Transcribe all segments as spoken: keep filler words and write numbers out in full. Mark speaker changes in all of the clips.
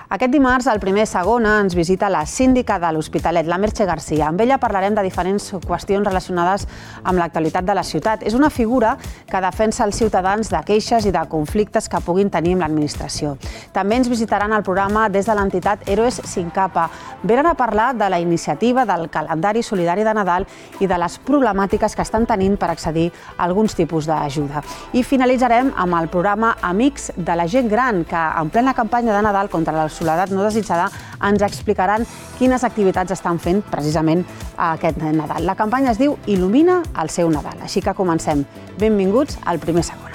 Speaker 1: Aquest dimarts, al primer segona, ens visita la síndica de l'Hospitalet, la Merche Garcia. Amb ella parlarem de diferents qüestions relacionades amb l'actualitat de la ciutat. És una figura que defensa els ciutadans de queixes i de conflictes que puguin tenir amb l'administració. També ens visitaran al programa des de l'entitat Héroes Sin Capa. Venen a parlar de la iniciativa del calendari solidari de Nadal i de les problemàtiques que estan tenint per accedir a alguns tipus d'ajuda. I finalitzarem amb el programa Amics de la gent gran, que en plena campanya de Nadal contra la soledat no desitjada ens explicaran quines activitats estan fent precisament aquest Nadal. La campanya es diu Il·lumina el seu Nadal. Així que comencem. Benvinguts al primer segona.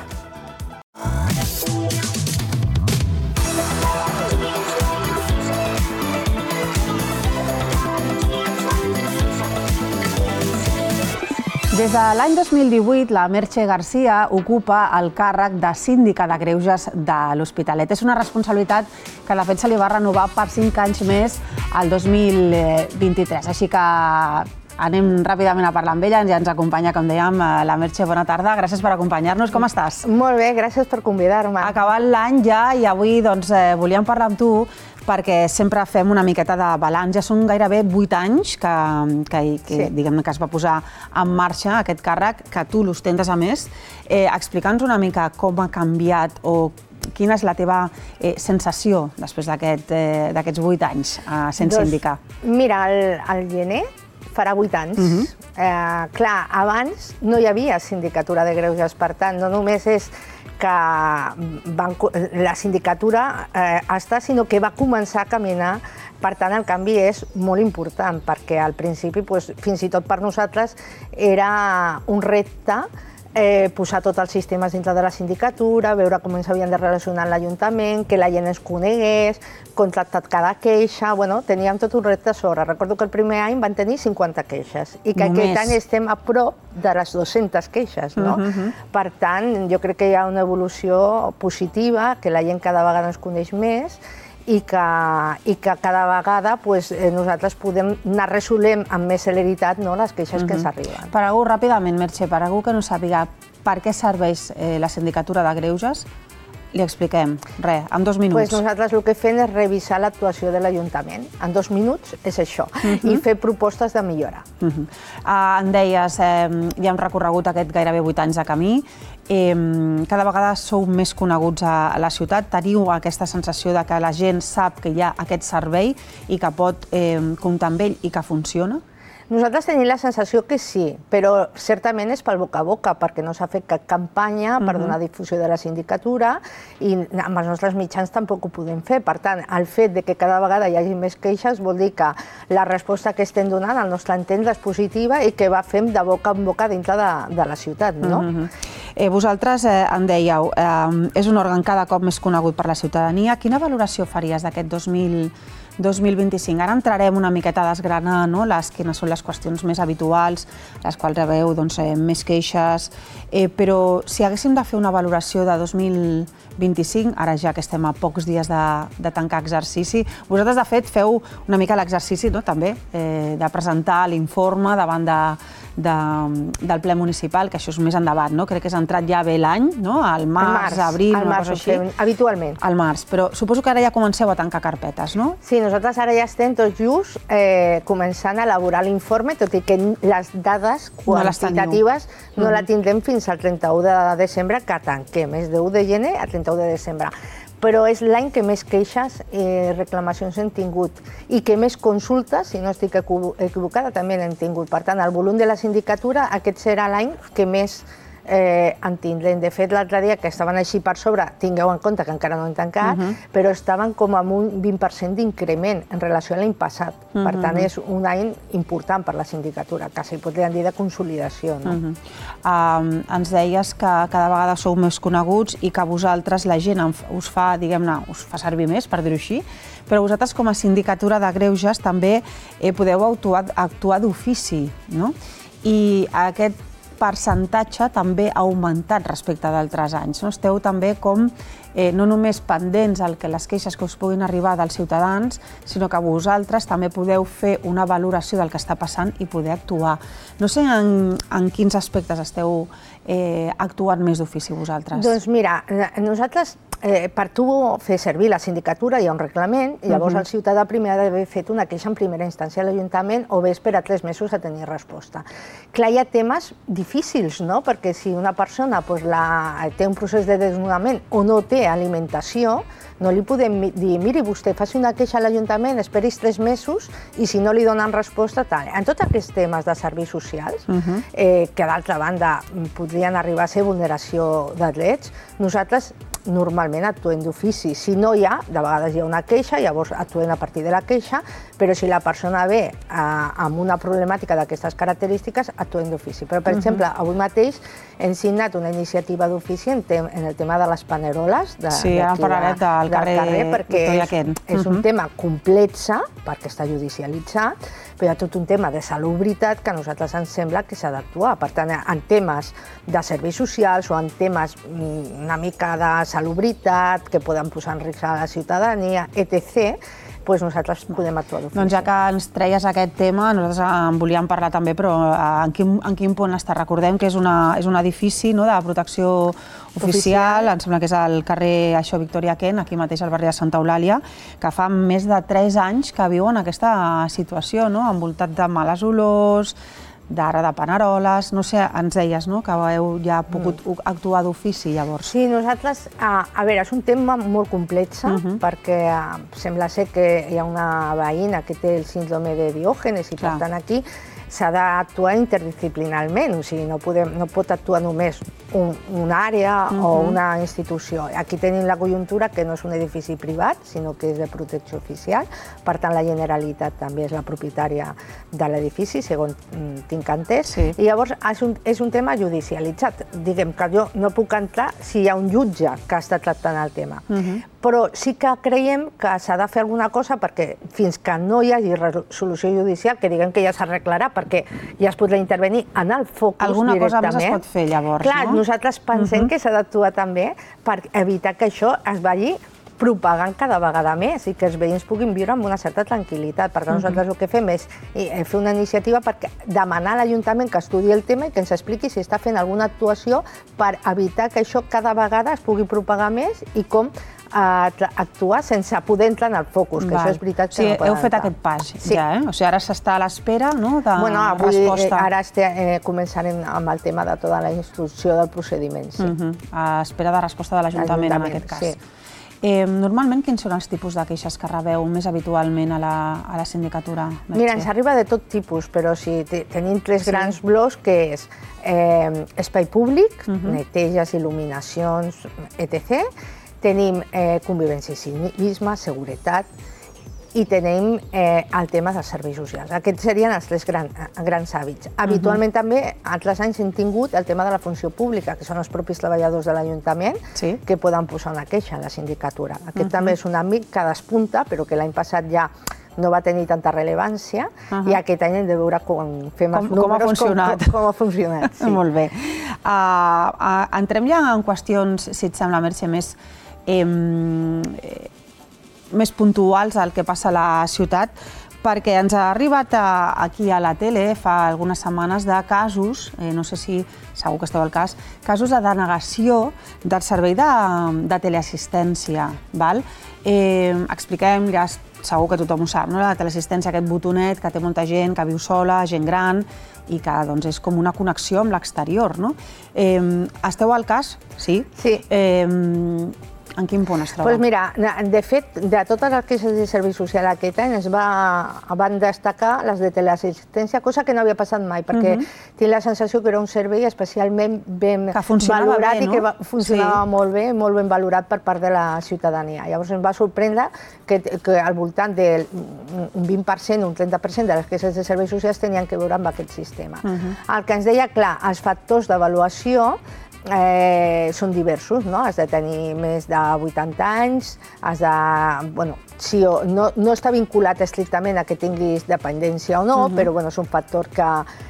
Speaker 1: Des de l'any dos mil divuit, la Merche Garcia ocupa el càrrec de síndica de greuges de l'Hospitalet. És una responsabilitat que de fet se li va renovar per cinc anys més el dos mil vint-i-tres. Així que anem ràpidament a parlar amb ella. Ja ens acompanya, com dèiem, la Merche. Bona tarda. Gràcies per acompanyar-nos. Com estàs?
Speaker 2: Molt bé, gràcies per convidar-me.
Speaker 1: Acabat l'any ja i avui doncs, volíem parlar amb tu perquè sempre fem una miqueta de balanç. Ja són gairebé vuit anys que, que, que, sí. diguem, que es va posar en marxa aquest càrrec, que tu l'ostentes a més. Eh, Explica'ns una mica com ha canviat o quina és la teva eh, sensació després d'aquests eh, d'aquests vuit anys eh, sent doncs, síndica.
Speaker 2: Mira, al, al gener farà vuit anys. Uh-huh. eh, clar, abans no hi havia sindicatura de greuges, per tant, no només és que van, la sindicatura eh, està, sinó que va començar a caminar. Per tant, el canvi és molt important, perquè al principi, doncs, fins i tot per nosaltres, era un repte eh, posar tots els sistemes dintre de la sindicatura, veure com ens havien de relacionar amb l'Ajuntament, que la gent ens conegués, contractar cada queixa. Bueno, teníem tot un repte a sobre. Recordo que el primer any van tenir cinquanta queixes i que Només. aquest any estem a prop de les dues-centes queixes, no? Uh-huh. Per tant, jo crec que hi ha una evolució positiva, que la gent cada vegada ens coneix més i que, i que cada vegada pues, nosaltres podem anar resolent amb més celeritat, no, les queixes uh-huh. que ens arriben.
Speaker 1: Per algú, ràpidament, Merche, per algú que no sàpiga per què serveix eh, la sindicatura de greuges, li expliquem. Res, en dos minuts.
Speaker 2: Pues nosaltres el que fem és revisar l'actuació de l'Ajuntament. En dos minuts és això. Uh-huh. I fer propostes de millora.
Speaker 1: Uh-huh. uh, en deies, eh, ja hem recorregut aquest gairebé vuit anys de camí. Eh, cada vegada sou més coneguts a la ciutat. Teniu aquesta sensació de que la gent sap que hi ha aquest servei i que pot eh, comptar amb ell i que funciona?
Speaker 2: Nosaltres tenim la sensació que sí, però certament és pel boca a boca, perquè no s'ha fet cap campanya per donar difusió de la sindicatura i amb els nostres mitjans tampoc ho podem fer. Per tant, el fet de que cada vegada hi hagi més queixes vol dir que la resposta que estem donant al nostre entendre és positiva i que va fem de boca en boca dintre de, de la ciutat, no?
Speaker 1: Uh-huh. eh, vosaltres eh, en dèieu, eh, és un òrgan cada cop més conegut per la ciutadania. Quina valoració faries d'aquest dos mil vint-i-cinc? Ara entrarem una miqueta a desgranar, no? les, quines són les qüestions més habituals, les quals rebeu doncs, eh, més queixes, eh, però si haguéssim de fer una valoració de dos mil vint-i-cinc, ara ja que estem a pocs dies de, de tancar exercici, vosaltres de fet feu una mica l'exercici, no? també eh, de presentar l'informe davant de, de, del ple municipal, que això és més endavant, no? Crec que és entrat ja bé l'any, no? al març, març abril,
Speaker 2: una
Speaker 1: cosa així.
Speaker 2: Fem, habitualment.
Speaker 1: Al març, però suposo que ara ja comenceu a tancar carpetes, no?
Speaker 2: Sí, nosaltres ara ja estem tot just eh, començant a elaborar l'informe, tot i que les dades quantitatives no, no la tindrem fins al trenta-u de desembre, que tanquem, és de u de gener a trenta-u de desembre. Però és l'any que més queixes i eh, reclamacions hem tingut i que més consultes, si no estic equivocada, també n'hem tingut. Per tant, el volum de la sindicatura, aquest serà l'any que més eh, en tindrem. De fet, l'altre dia, que estaven així per sobre, tingueu en compte que encara no hem tancat, uh-huh. però estaven com amb un vint per cent d'increment en relació a l'any passat. Uh-huh. Per tant, és un any important per la sindicatura, que s'hi podríem dir de consolidació. No?
Speaker 1: Uh-huh. um, ens deies que cada vegada sou més coneguts i que vosaltres, la gent, us fa, diguem-ne, us fa servir més, per dir-ho així, però vosaltres, com a sindicatura de greuges, també eh, podeu actuar, actuar d'ofici, no? I aquest percentatge també ha augmentat respecte d'altres anys. No? Esteu també com no només pendents el que les queixes que us puguin arribar dels ciutadans, sinó que vosaltres també podeu fer una valoració del que està passant i poder actuar. No sé en quins aspectes esteu actuant més d'ofici vosaltres.
Speaker 2: Doncs mira, nosaltres, per tu fer servir la sindicatura hi ha un reglament, i llavors el ciutadà primer ha d'haver fet una queixa en primera instància a l'Ajuntament o bé esperar tres mesos a tenir resposta. Clar, hi ha temes difícils, no? Perquè si una persona té un procés de desnudament o no té alimentació, no li podem dir, miri, vostè faci una queixa a l'Ajuntament, esperis tres mesos i si no li donen resposta, tal. En tots aquests temes de serveis socials, que d'altra banda podrien arribar a ser vulneració de drets, nosaltres normalment actuem d'ofici. Si no hi ha, de vegades hi ha una queixa, llavors actuem a partir de la queixa, però si la persona ve amb una problemàtica d'aquestes característiques, actuem d'ofici. Però, per exemple, avui mateix hem signat una iniciativa d'ofici en el tema de les paneroles
Speaker 1: Sí, ara parlarem del carrer Victòria Kent.
Speaker 2: És un tema complex, perquè està judicialitzat, però hi ha tot un tema de salubritat que a nosaltres ens sembla que s'ha d'actuar. Per tant, en temes de serveis socials o en temes una mica de salubritat, que poden posar en risc a la ciutadania, etcètera, doncs nosaltres podem actuar d'ofici.
Speaker 1: Doncs ja que ens treies aquest tema, nosaltres en volíem parlar també, però en quin punt està? Recordem que és un edifici de protecció oficial, em sembla que és al carrer Victòria Kent, aquí mateix al barri de Santa Eulàlia, que fa més de tres anys que viuen aquesta situació, envoltat de males olors, d'ara de paneroles, no sé, ens deies que heu ja pogut actuar d'ofici llavors.
Speaker 2: Sí, nosaltres, a veure, és un tema molt complex perquè sembla ser que hi ha una veïna que té el síndrome de Diògenes i per tant aquí s'ha d'actuar interdisciplinarment, o sigui, no pot actuar només una àrea o una institució. Aquí tenim la conjuntura que no és un edifici privat, sinó que és de protecció oficial, per tant la Generalitat també és la propietària de l'edifici, segons tinc entès, i llavors és un tema judicialitzat. Diguem que jo no puc entrar si hi ha un jutge que està tractant el tema, però sí que creiem que s'ha de fer alguna cosa perquè fins que no hi hagi resolució judicial, que diguem que ja s'arreglarà perquè ja es podrà intervenir en el focus directament.
Speaker 1: Alguna cosa més es pot fer llavors, no?
Speaker 2: Clar, nosaltres pensem que s'ha d'actuar també per evitar que això es vagi propagant cada vegada més i que els veïns puguin viure amb una certa tranquil·litat. Per tant, nosaltres el que fem és fer una iniciativa per demanar a l'Ajuntament que estudi el tema i que ens expliqui si està fent alguna actuació per evitar que això cada vegada es pugui propagar més i com actuar sense poder entrar en el focus, que això és veritat que no poden entrar.
Speaker 1: Heu fet aquest pas ja, eh? O sigui, ara s'està a l'espera de resposta.
Speaker 2: Ara començarem amb el tema de tota la instrucció del procediment.
Speaker 1: A espera de resposta de l'Ajuntament, en aquest cas. Normalment, quins són els tipus de queixes que rebeu més habitualment a la sindicatura?
Speaker 2: Mira, ens arriba de tot tipus, però tenim tres grans blocs, que és espai públic, neteges, il·luminacions, etcètera. Tenim convivència i civisme, seguretat, i tenim el tema dels serveis socials. Aquests serien els tres grans hàbits. Habitualment també, altres anys hem tingut el tema de la funció pública, que són els propis treballadors de l'Ajuntament que poden posar una queixa a la sindicatura. Aquest també és un àmbit que despunta, però que l'any passat ja no va tenir tanta rellevància i aquest any hem de veure com fem els números, com ha funcionat.
Speaker 1: Molt bé. Entrem ja en qüestions, si et sembla, Mercè, més més puntuals al que passa a la ciutat, perquè ens ha arribat aquí a la tele fa algunes setmanes de casos, no sé si segur que esteu al cas, casos de denegació del servei de teleassistència. Expliquem, segur que tothom ho sap, la teleassistència, aquest botonet que té molta gent, que viu sola, gent gran, i que és com una connexió amb l'exterior. Esteu al cas? Sí?
Speaker 2: Sí.
Speaker 1: En quin punt es troba?
Speaker 2: Doncs mira, de fet, de totes les queixes de servei social aquest any es van destacar les de teleassistència, cosa que no havia passat mai, perquè tinc la sensació que era un servei especialment ben valorat i que funcionava molt bé, molt ben valorat per part de la ciutadania. Llavors ens va sorprendre que al voltant d'un vint per cent, un trenta per cent de les queixes de serveis socials tenien que veure amb aquest sistema. El que ens deia, clar, els factors d'avaluació són diversos, has de tenir més de vuitanta anys, no està vinculat estrictament a que tinguis dependència o no, però és un factor que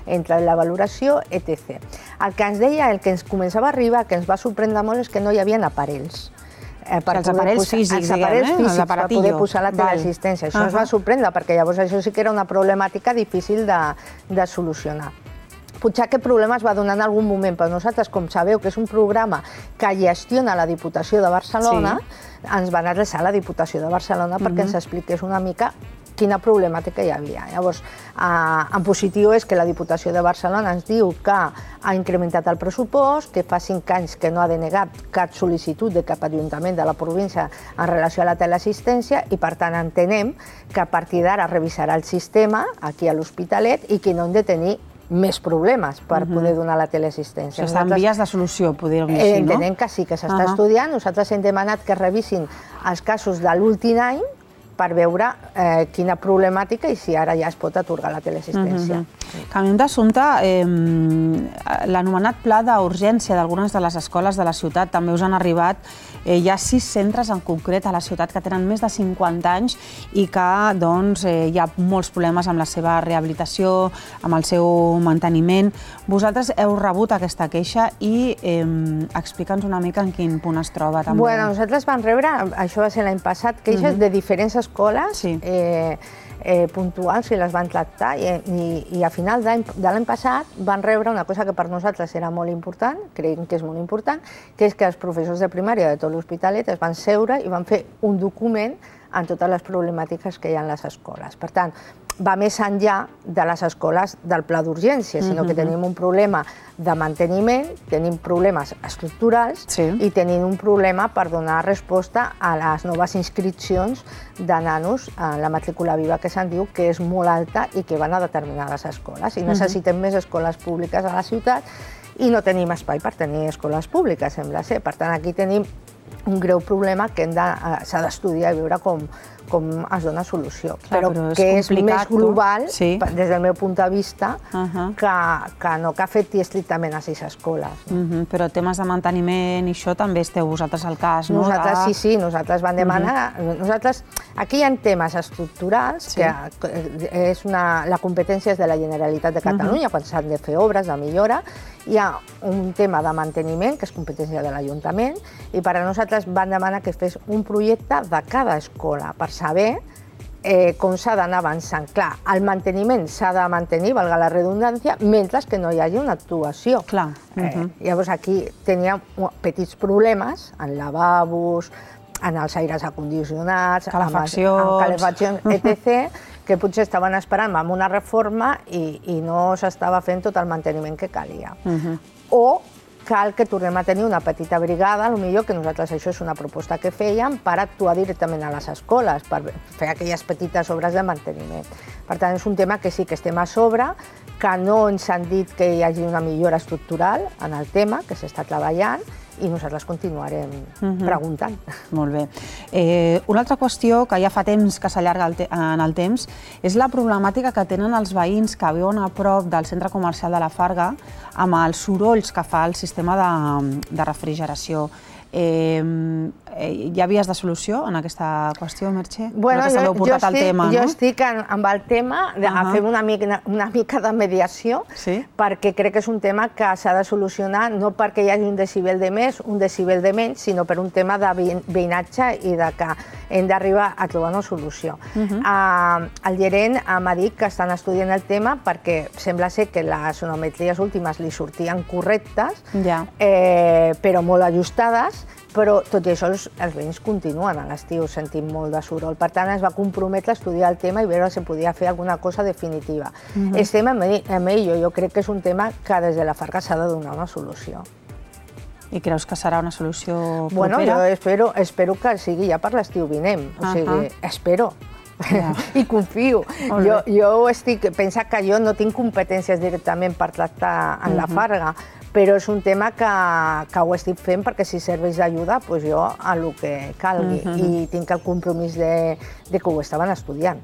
Speaker 2: entra en la valoració, etcètera. El que ens deia, el que ens començava a arribar, que ens va sorprendre molt, és que no hi havia aparells.
Speaker 1: Els aparells físics, diguem,
Speaker 2: per poder posar la teleassistència. Això ens va sorprendre, perquè llavors això sí que era una problemàtica difícil de solucionar. Potser aquest problema es va donar en algun moment, però nosaltres, com sabeu que és un programa que gestiona la Diputació de Barcelona, ens van adreçar a la Diputació de Barcelona perquè ens expliqués una mica quina problemàtica hi havia. Llavors, en positiu és que la Diputació de Barcelona ens diu que ha incrementat el pressupost, que fa cinc anys que no ha denegat cap sol·licitud de cap ajuntament de la província en relació a la teleassistència i, per tant, entenem que a partir d'ara revisarà el sistema aquí a l'Hospitalet i que no hem de tenir més problemes per poder donar la teleassistència.
Speaker 1: Això està en vies de solució, podríem dir així, no?
Speaker 2: Entenem que sí, que s'està estudiant. Nosaltres hem demanat que revisin els casos de l'últim any per veure quina problemàtica i si ara ja es pot atorgar la teleassistència.
Speaker 1: Canviem d'assumpte, l'anomenat pla d'urgència d'algunes de les escoles de la ciutat també us han arribat. Hi ha sis centres en concret a la ciutat que tenen més de cinquanta anys i que hi ha molts problemes amb la seva rehabilitació, amb el seu manteniment. Vosaltres heu rebut aquesta queixa i explica'ns una mica en quin punt es troba també.
Speaker 2: Bé, nosaltres vam rebre, això va ser l'any passat, queixes de diferents escoles puntuals i les van tractar i a final de l'any passat van rebre una cosa que per nosaltres era molt important, creiem que és molt important, que és que els professors de primària de tot l'Hospitalet es van seure i van fer un document en totes les problemàtiques que hi ha en les escoles. Per tant, va més enllà de les escoles del pla d'urgència, sinó que tenim un problema de manteniment, tenim problemes estructurals i tenim un problema per donar resposta a les noves inscripcions de nanos en la matrícula viva, que se'n diu que és molt alta i que van a determinades escoles. I necessitem més escoles públiques a la ciutat i no tenim espai per tenir escoles públiques, sembla ser. Per tant, aquí tenim un greu problema que s'ha d'estudiar i veure com com es dona solució, però que és més global, des del meu punt de vista, que no que afecti estrictament a sis escoles.
Speaker 1: Però temes de manteniment i això també esteu vosaltres al cas, no?
Speaker 2: Nosaltres sí, sí, nosaltres vam demanar... Nosaltres, aquí hi ha temes estructurals, que la competència és de la Generalitat de Catalunya, quan s'han de fer obres de millora, hi ha un tema de manteniment, que és competència de l'Ajuntament, i per a nosaltres van demanar que es fes un projecte de cada escola, per saber com s'ha d'anar avançant. Clar, el manteniment s'ha de mantenir, valga la redundància, mentre que no hi hagi una actuació. Llavors aquí teníem petits problemes en lavabos, en els aires acondicionats, calefaccions, etcètera, que potser estaven esperant amb una reforma i no s'estava fent tot el manteniment que calia. O cal que tornem a tenir una petita brigada, potser que nosaltres això és una proposta que fèiem, per actuar directament a les escoles, per fer aquelles petites obres de manteniment. Per tant, és un tema que sí que estem a sobre, que no ens han dit que hi hagi una millora estructural en el tema, que s'està treballant, i nosaltres continuarem preguntant.
Speaker 1: Molt bé. Una altra qüestió que ja fa temps que s'allarga en el temps és la problemàtica que tenen els veïns que viuen a prop del centre comercial de la Farga amb els sorolls que fa el sistema de refrigeració. Hi ha vies de solució en aquesta qüestió, Merche?
Speaker 2: Jo estic amb el tema de fer una mica de mediació, perquè crec que és un tema que s'ha de solucionar no perquè hi hagi un decibel de més, un decibel de menys, sinó per un tema de veïnatge i que hem d'arribar a trobar una solució. El gerent m'ha dit que estan estudiant el tema perquè sembla ser que les sonometries últimes li sortien correctes, però molt ajustades, però tot i això els veïns continuen a l'estiu sentint molt de soroll. Per tant, es va comprometre a estudiar el tema i veure si podia fer alguna cosa definitiva. Estem en ello. Jo crec que és un tema que des de la Farga s'ha de donar una solució.
Speaker 1: I creus que serà una solució propera?
Speaker 2: Bueno, jo espero que sigui ja per l'estiu vinent. O sigui, espero. I confio. Jo estic pensant que jo no tinc competències directament per tractar en la Farga, però és un tema que ho estic fent perquè si serveix d'ajuda, doncs jo a el que calgui. I tinc el compromís de que ho estaven estudiant.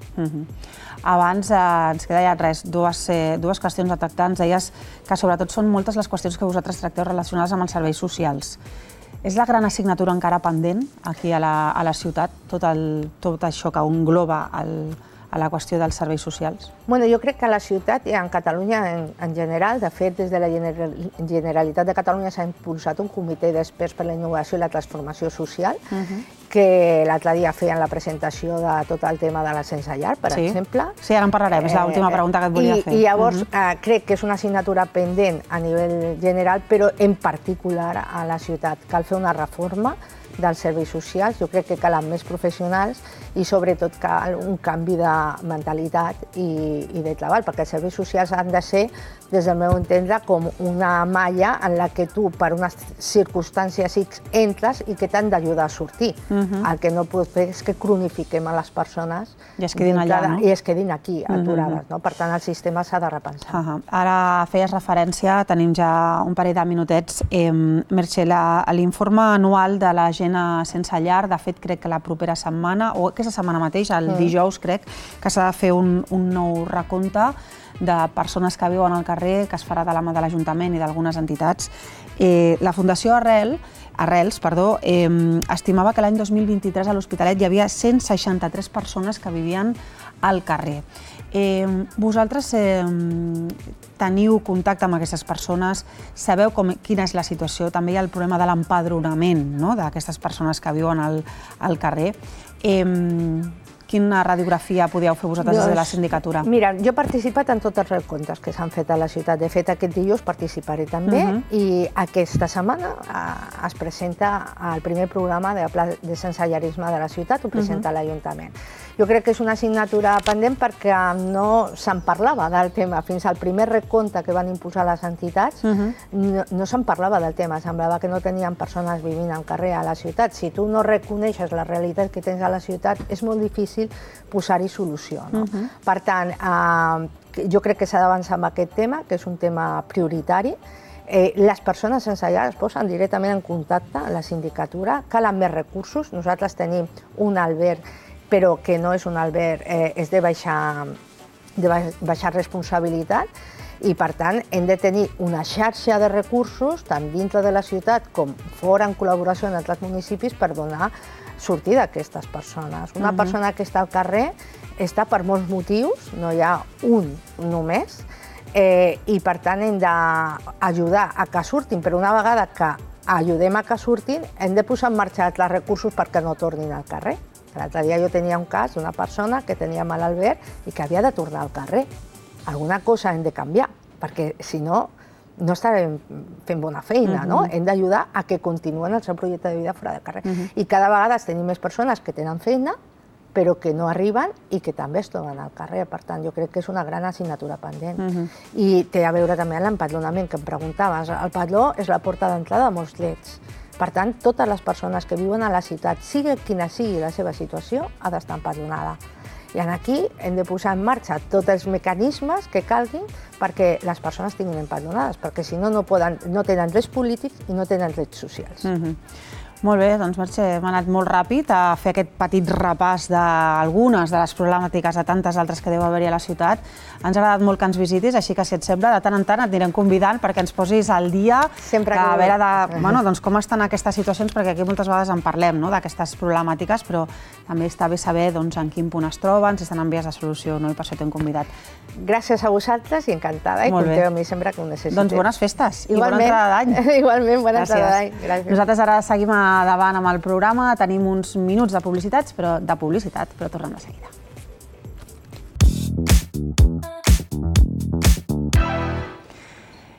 Speaker 1: Abans ens queda ja res, dues qüestions a tractar. Ens deies que sobretot són moltes les qüestions que vosaltres tracteu relacionades amb els serveis socials. És la gran assignatura encara pendent aquí a la ciutat, tot això que engloba el a la qüestió dels serveis socials?
Speaker 2: Bueno, jo crec que a la ciutat i en Catalunya en, en general, de fet, des de la Generalitat de Catalunya s'ha impulsat un comitè d'experts per la innovació i la transformació social, uh-huh. que l'altre dia feien la presentació de tot el tema de la sense llar, per
Speaker 1: sí.
Speaker 2: exemple.
Speaker 1: Sí, ara en parlarem, és l'última pregunta que et volia
Speaker 2: I,
Speaker 1: fer.
Speaker 2: I llavors uh-huh. eh, crec que és una assignatura pendent a nivell general, però en particular a la ciutat. Cal fer una reforma dels serveis socials, jo crec que calen més professionals i sobretot cal un canvi de mentalitat i, i de treball, perquè els serveis socials han de ser, des del meu entendre, com una malla en la que tu, per unes circumstàncies X, entres i que t'han d'ajudar a sortir. Uh-huh. El que no pot fer és que cronifiquem a les persones
Speaker 1: i es quedin allà, no?
Speaker 2: I es quedin aquí, aturades. Uh-huh. No? Per tant, el sistema s'ha de repensar.
Speaker 1: Uh-huh. Ara feies referència, tenim ja un parell de minutets, eh, Merche, l'informe anual de la gent sense llar, de fet, crec que la propera setmana, o aquesta setmana mateix, el mm. dijous, crec, que s'ha de fer un, un nou recompte de persones que viuen al carrer, que es farà de la mà de l'Ajuntament i d'algunes entitats. Eh, la Fundació Arrel, Arrels perdó, eh, estimava que l'any dos mil vint-i-tres a l'Hospitalet hi havia cent seixanta-tres persones que vivien al carrer. Eh, vosaltres eh, teniu contacte amb aquestes persones, sabeu com, quina és la situació, també hi ha el problema de l'empadronament, no?, d'aquestes persones que viuen al, al carrer. Eh, quina radiografia podíeu fer vosaltres des de la sindicatura?
Speaker 2: Mira, jo he participat en tots els recomptes que s'han fet a la ciutat. De fet, aquest dilluns participaré també uh-huh. i aquesta setmana eh, es presenta el primer programa de pla de sensellarisme de la ciutat, ho presenta uh-huh. l'Ajuntament. Jo crec que és una assignatura pendent perquè no se'n parlava del tema. Fins al primer recompte que van imposar les entitats uh-huh. no, no se'n parlava del tema. Semblava que no tenien persones vivint al carrer a la ciutat. Si tu no reconeixes la realitat que tens a la ciutat, és molt difícil posar-hi solució. No? Uh-huh. Per tant, eh, jo crec que s'ha d'avançar amb aquest tema, que és un tema prioritari. Eh, les persones sense llar es posen directament en contacte amb la sindicatura, calen més recursos. Nosaltres tenim un alberg, però que no és un alberg, eh, és de baixar, de baixar responsabilitat, i per tant hem de tenir una xarxa de recursos tant dintre de la ciutat com fora en col·laboració amb altres municipis per donar sortida a aquestes persones. Una uh-huh. persona que està al carrer està per molts motius, no hi ha un només, eh, i per tant hem d'ajudar a que surtin, però una vegada que ajudem a que surtin hem de posar en marxa altres recursos perquè no tornin al carrer. L'altre dia jo tenia un cas d'una persona que tenia mal al ver i que havia de tornar al carrer. Alguna cosa hem de canviar, perquè si no, no estarem fent bona feina, uh-huh. no? Hem d'ajudar a que continuen el seu projecte de vida fora del carrer. Uh-huh. I cada vegada tenim més persones que tenen feina, però que no arriben i que també es troben al carrer. Per tant, jo crec que és una gran assignatura pendent. Uh-huh. I té a veure també amb l'empadronament, que em preguntaves. El padró és la porta d'entrada de molts drets. Per tant, totes les persones que viuen a la ciutat, sigui quina sigui la seva situació, ha d'estar empadronada. I aquí hem de posar en marxa tots els mecanismes que calguin perquè les persones tinguin empadronades, perquè si no, no, poden, no tenen drets polítics i no tenen drets socials.
Speaker 1: Uh-huh. Molt bé, doncs Merche, hem anat molt ràpid a fer aquest petit repàs d'algunes de les problemàtiques de tantes altres que deu haver-hi a la ciutat. Ens ha agradat molt que ens visitis, així que si et sembla, de tant en tant et anirem convidant perquè ens posis al dia
Speaker 2: Sempre
Speaker 1: a veure de, bueno, doncs, com estan aquestes situacions, perquè aquí moltes vegades en parlem, no?, d'aquestes problemàtiques, però també està bé saber doncs, en quin punt es troben, si estan en vies de solució, no? I per això t'hem convidat.
Speaker 2: Gràcies a vosaltres i encantada, i compteu amb mi sempre que ho necessiteu.
Speaker 1: Doncs bones festes
Speaker 2: Igualment,
Speaker 1: i bona entrada d'any.
Speaker 2: Igualment, bona entrada d'any.
Speaker 1: Gràcies. Nosaltres ara seguim davant amb el programa, tenim uns minuts de publicitats, però de publicitat, però tornem de seguida.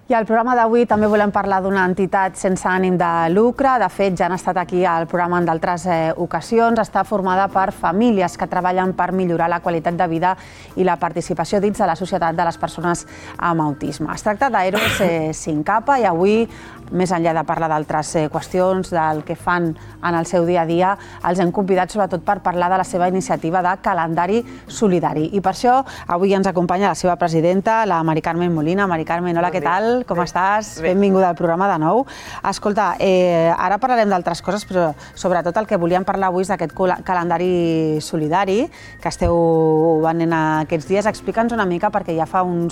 Speaker 1: I al programa d'avui també volem parlar d'una entitat sense ànim de lucre. De fet, ja han estat aquí al programa en d'altres eh, ocasions. Està formada per famílies que treballen per millorar la qualitat de vida i la participació dins de la societat de les persones amb autisme. Es tracta d'Heroes eh, Sin Capa i avui, més enllà de parlar d'altres eh, qüestions, del que fan en el seu dia a dia, els hem convidat sobretot per parlar de la seva iniciativa de calendari solidari. I per això avui ens acompanya la seva presidenta, la Mari Carmen Molina. Mari Carmen, hola, què tal? tal? Com estàs? Benvinguda al programa de nou. Escolta, ara parlarem d'altres coses, però sobretot el que volíem parlar avui és d'aquest calendari solidari que esteu venent aquests dies. Explica'ns una mica, perquè ja fa un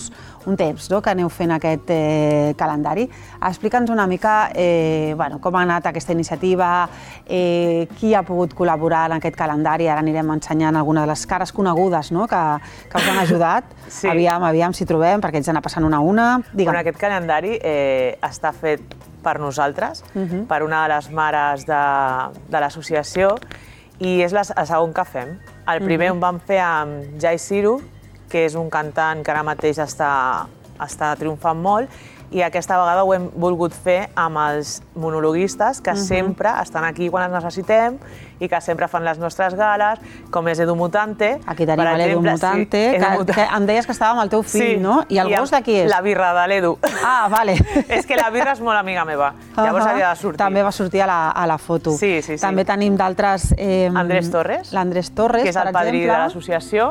Speaker 1: temps que aneu fent aquest calendari. Explica'ns una mica com ha anat aquesta iniciativa, qui ha pogut col·laborar en aquest calendari. Ara anirem ensenyant alguna de les cares conegudes que us han ajudat. Aviam, aviam si trobem, perquè ens anar passant una a una.
Speaker 3: Aquest calendari està fet per nosaltres, per una de les mares de l'associació, i és el segon que fem. El primer ho vam fer amb Jai Ciru, que és un cantant que ara mateix està triomfant molt, i aquesta vegada ho hem volgut fer amb els monologuistes, que sempre estan aquí quan els necessitem i que sempre fan les nostres gales, com és Edu Mutante.
Speaker 1: Aquí tenim l'Edu Mutante, que em deies que estava amb el teu fill, no? I el gos de qui és?
Speaker 3: La birra de l'Edu.
Speaker 1: Ah, vale.
Speaker 3: És que la birra és molt amiga meva, llavors havia de sortir.
Speaker 1: També va sortir a la foto.
Speaker 3: Sí, sí, sí.
Speaker 1: També tenim d'altres...
Speaker 3: Andrés Torres.
Speaker 1: L'Andrés Torres, per exemple.
Speaker 3: Que és el padrí de l'associació.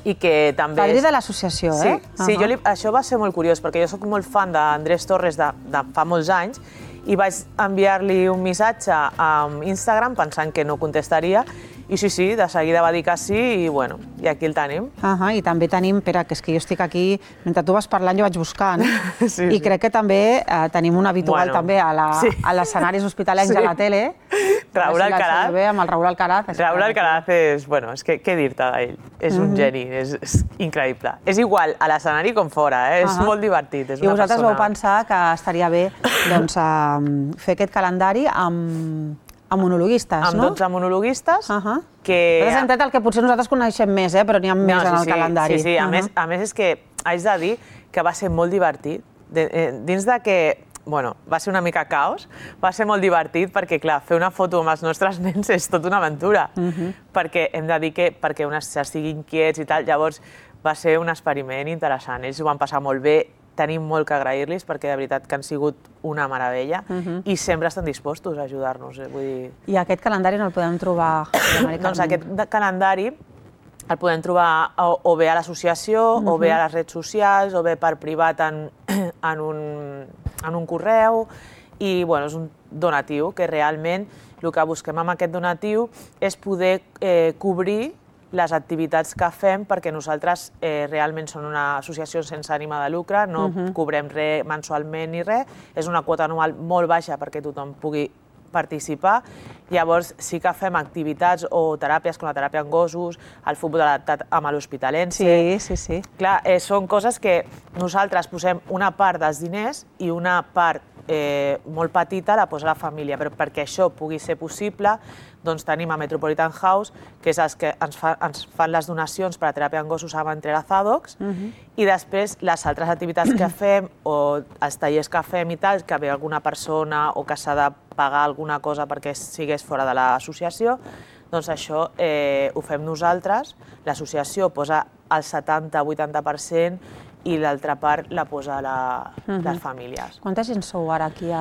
Speaker 3: I que també...
Speaker 1: Padrí de l'associació, eh?
Speaker 3: Sí, això va ser molt curiós, perquè jo soc molt fan d'Andrés Torres de fa molts anys i vaig enviar-li un missatge a Instagram pensant que no contestaria, i sí, sí, de seguida va dir que sí, i bueno, i aquí el tenim.
Speaker 1: I també tenim, espera, que és que jo estic aquí, mentre tu vas parlant jo vaig buscant, i crec que també tenim un habitual també a l'escenaris hospitalencs a la tele.
Speaker 3: Raúl Alcaraz.
Speaker 1: Amb el Raúl Alcaraz.
Speaker 3: Raúl Alcaraz és, bueno, és que què dir-te d'ell? És un geni, és increïble. És igual a l'escenari com fora, és molt divertit.
Speaker 1: I vosaltres vau pensar que estaria bé fer aquest calendari amb monologuistes, no?
Speaker 3: Amb dotze monologuistes.
Speaker 1: Nosaltres hem tret el que potser nosaltres coneixem més, però n'hi ha més en el calendari.
Speaker 3: Sí, sí, a més és que haig de dir que va ser molt divertit. Dins de que Bueno, va ser una mica caos, va ser molt divertit perquè, clar, fer una foto amb els nostres nens és tota una aventura, perquè hem de dir que perquè uns estiguin quiets i tal, llavors va ser un experiment interessant, ells ho van passar molt bé, tenim molt que agrair-los perquè de veritat que han sigut una meravella i sempre estan dispostos a ajudar-nos.
Speaker 1: I aquest calendari no el podem trobar?
Speaker 3: Doncs aquest calendari el podem trobar o bé a l'associació, o bé a les redes socials, o bé per privat en un correu, i és un donatiu que realment el que busquem amb aquest donatiu és poder cobrir les activitats que fem, perquè nosaltres realment som una associació sense ànima de lucre, no cobrem res mensualment ni res, és una quota anual molt baixa perquè tothom pugui participar. Llavors sí que fem activitats o teràpies com la teràpia en gossos, el futbol adaptat amb l'Hospitalense.
Speaker 1: Sí, sí, sí.
Speaker 3: Clar, són coses que nosaltres posem una part dels diners i una part molt petita la posa la família, però perquè això pugui ser possible doncs tenim a Metropolitan House, que és els que ens fan les donacions per a teràpia en gossos amb Entrelazadocs, i després les altres activitats que fem o els tallers que fem i tal, que ve alguna persona o que s'ha de pagar alguna cosa perquè sigués fora de l'associació, doncs això ho fem nosaltres, l'associació posa el setanta a vuitanta per cent i l'altra part la posa les famílies.
Speaker 1: Quanta gent sou ara aquí?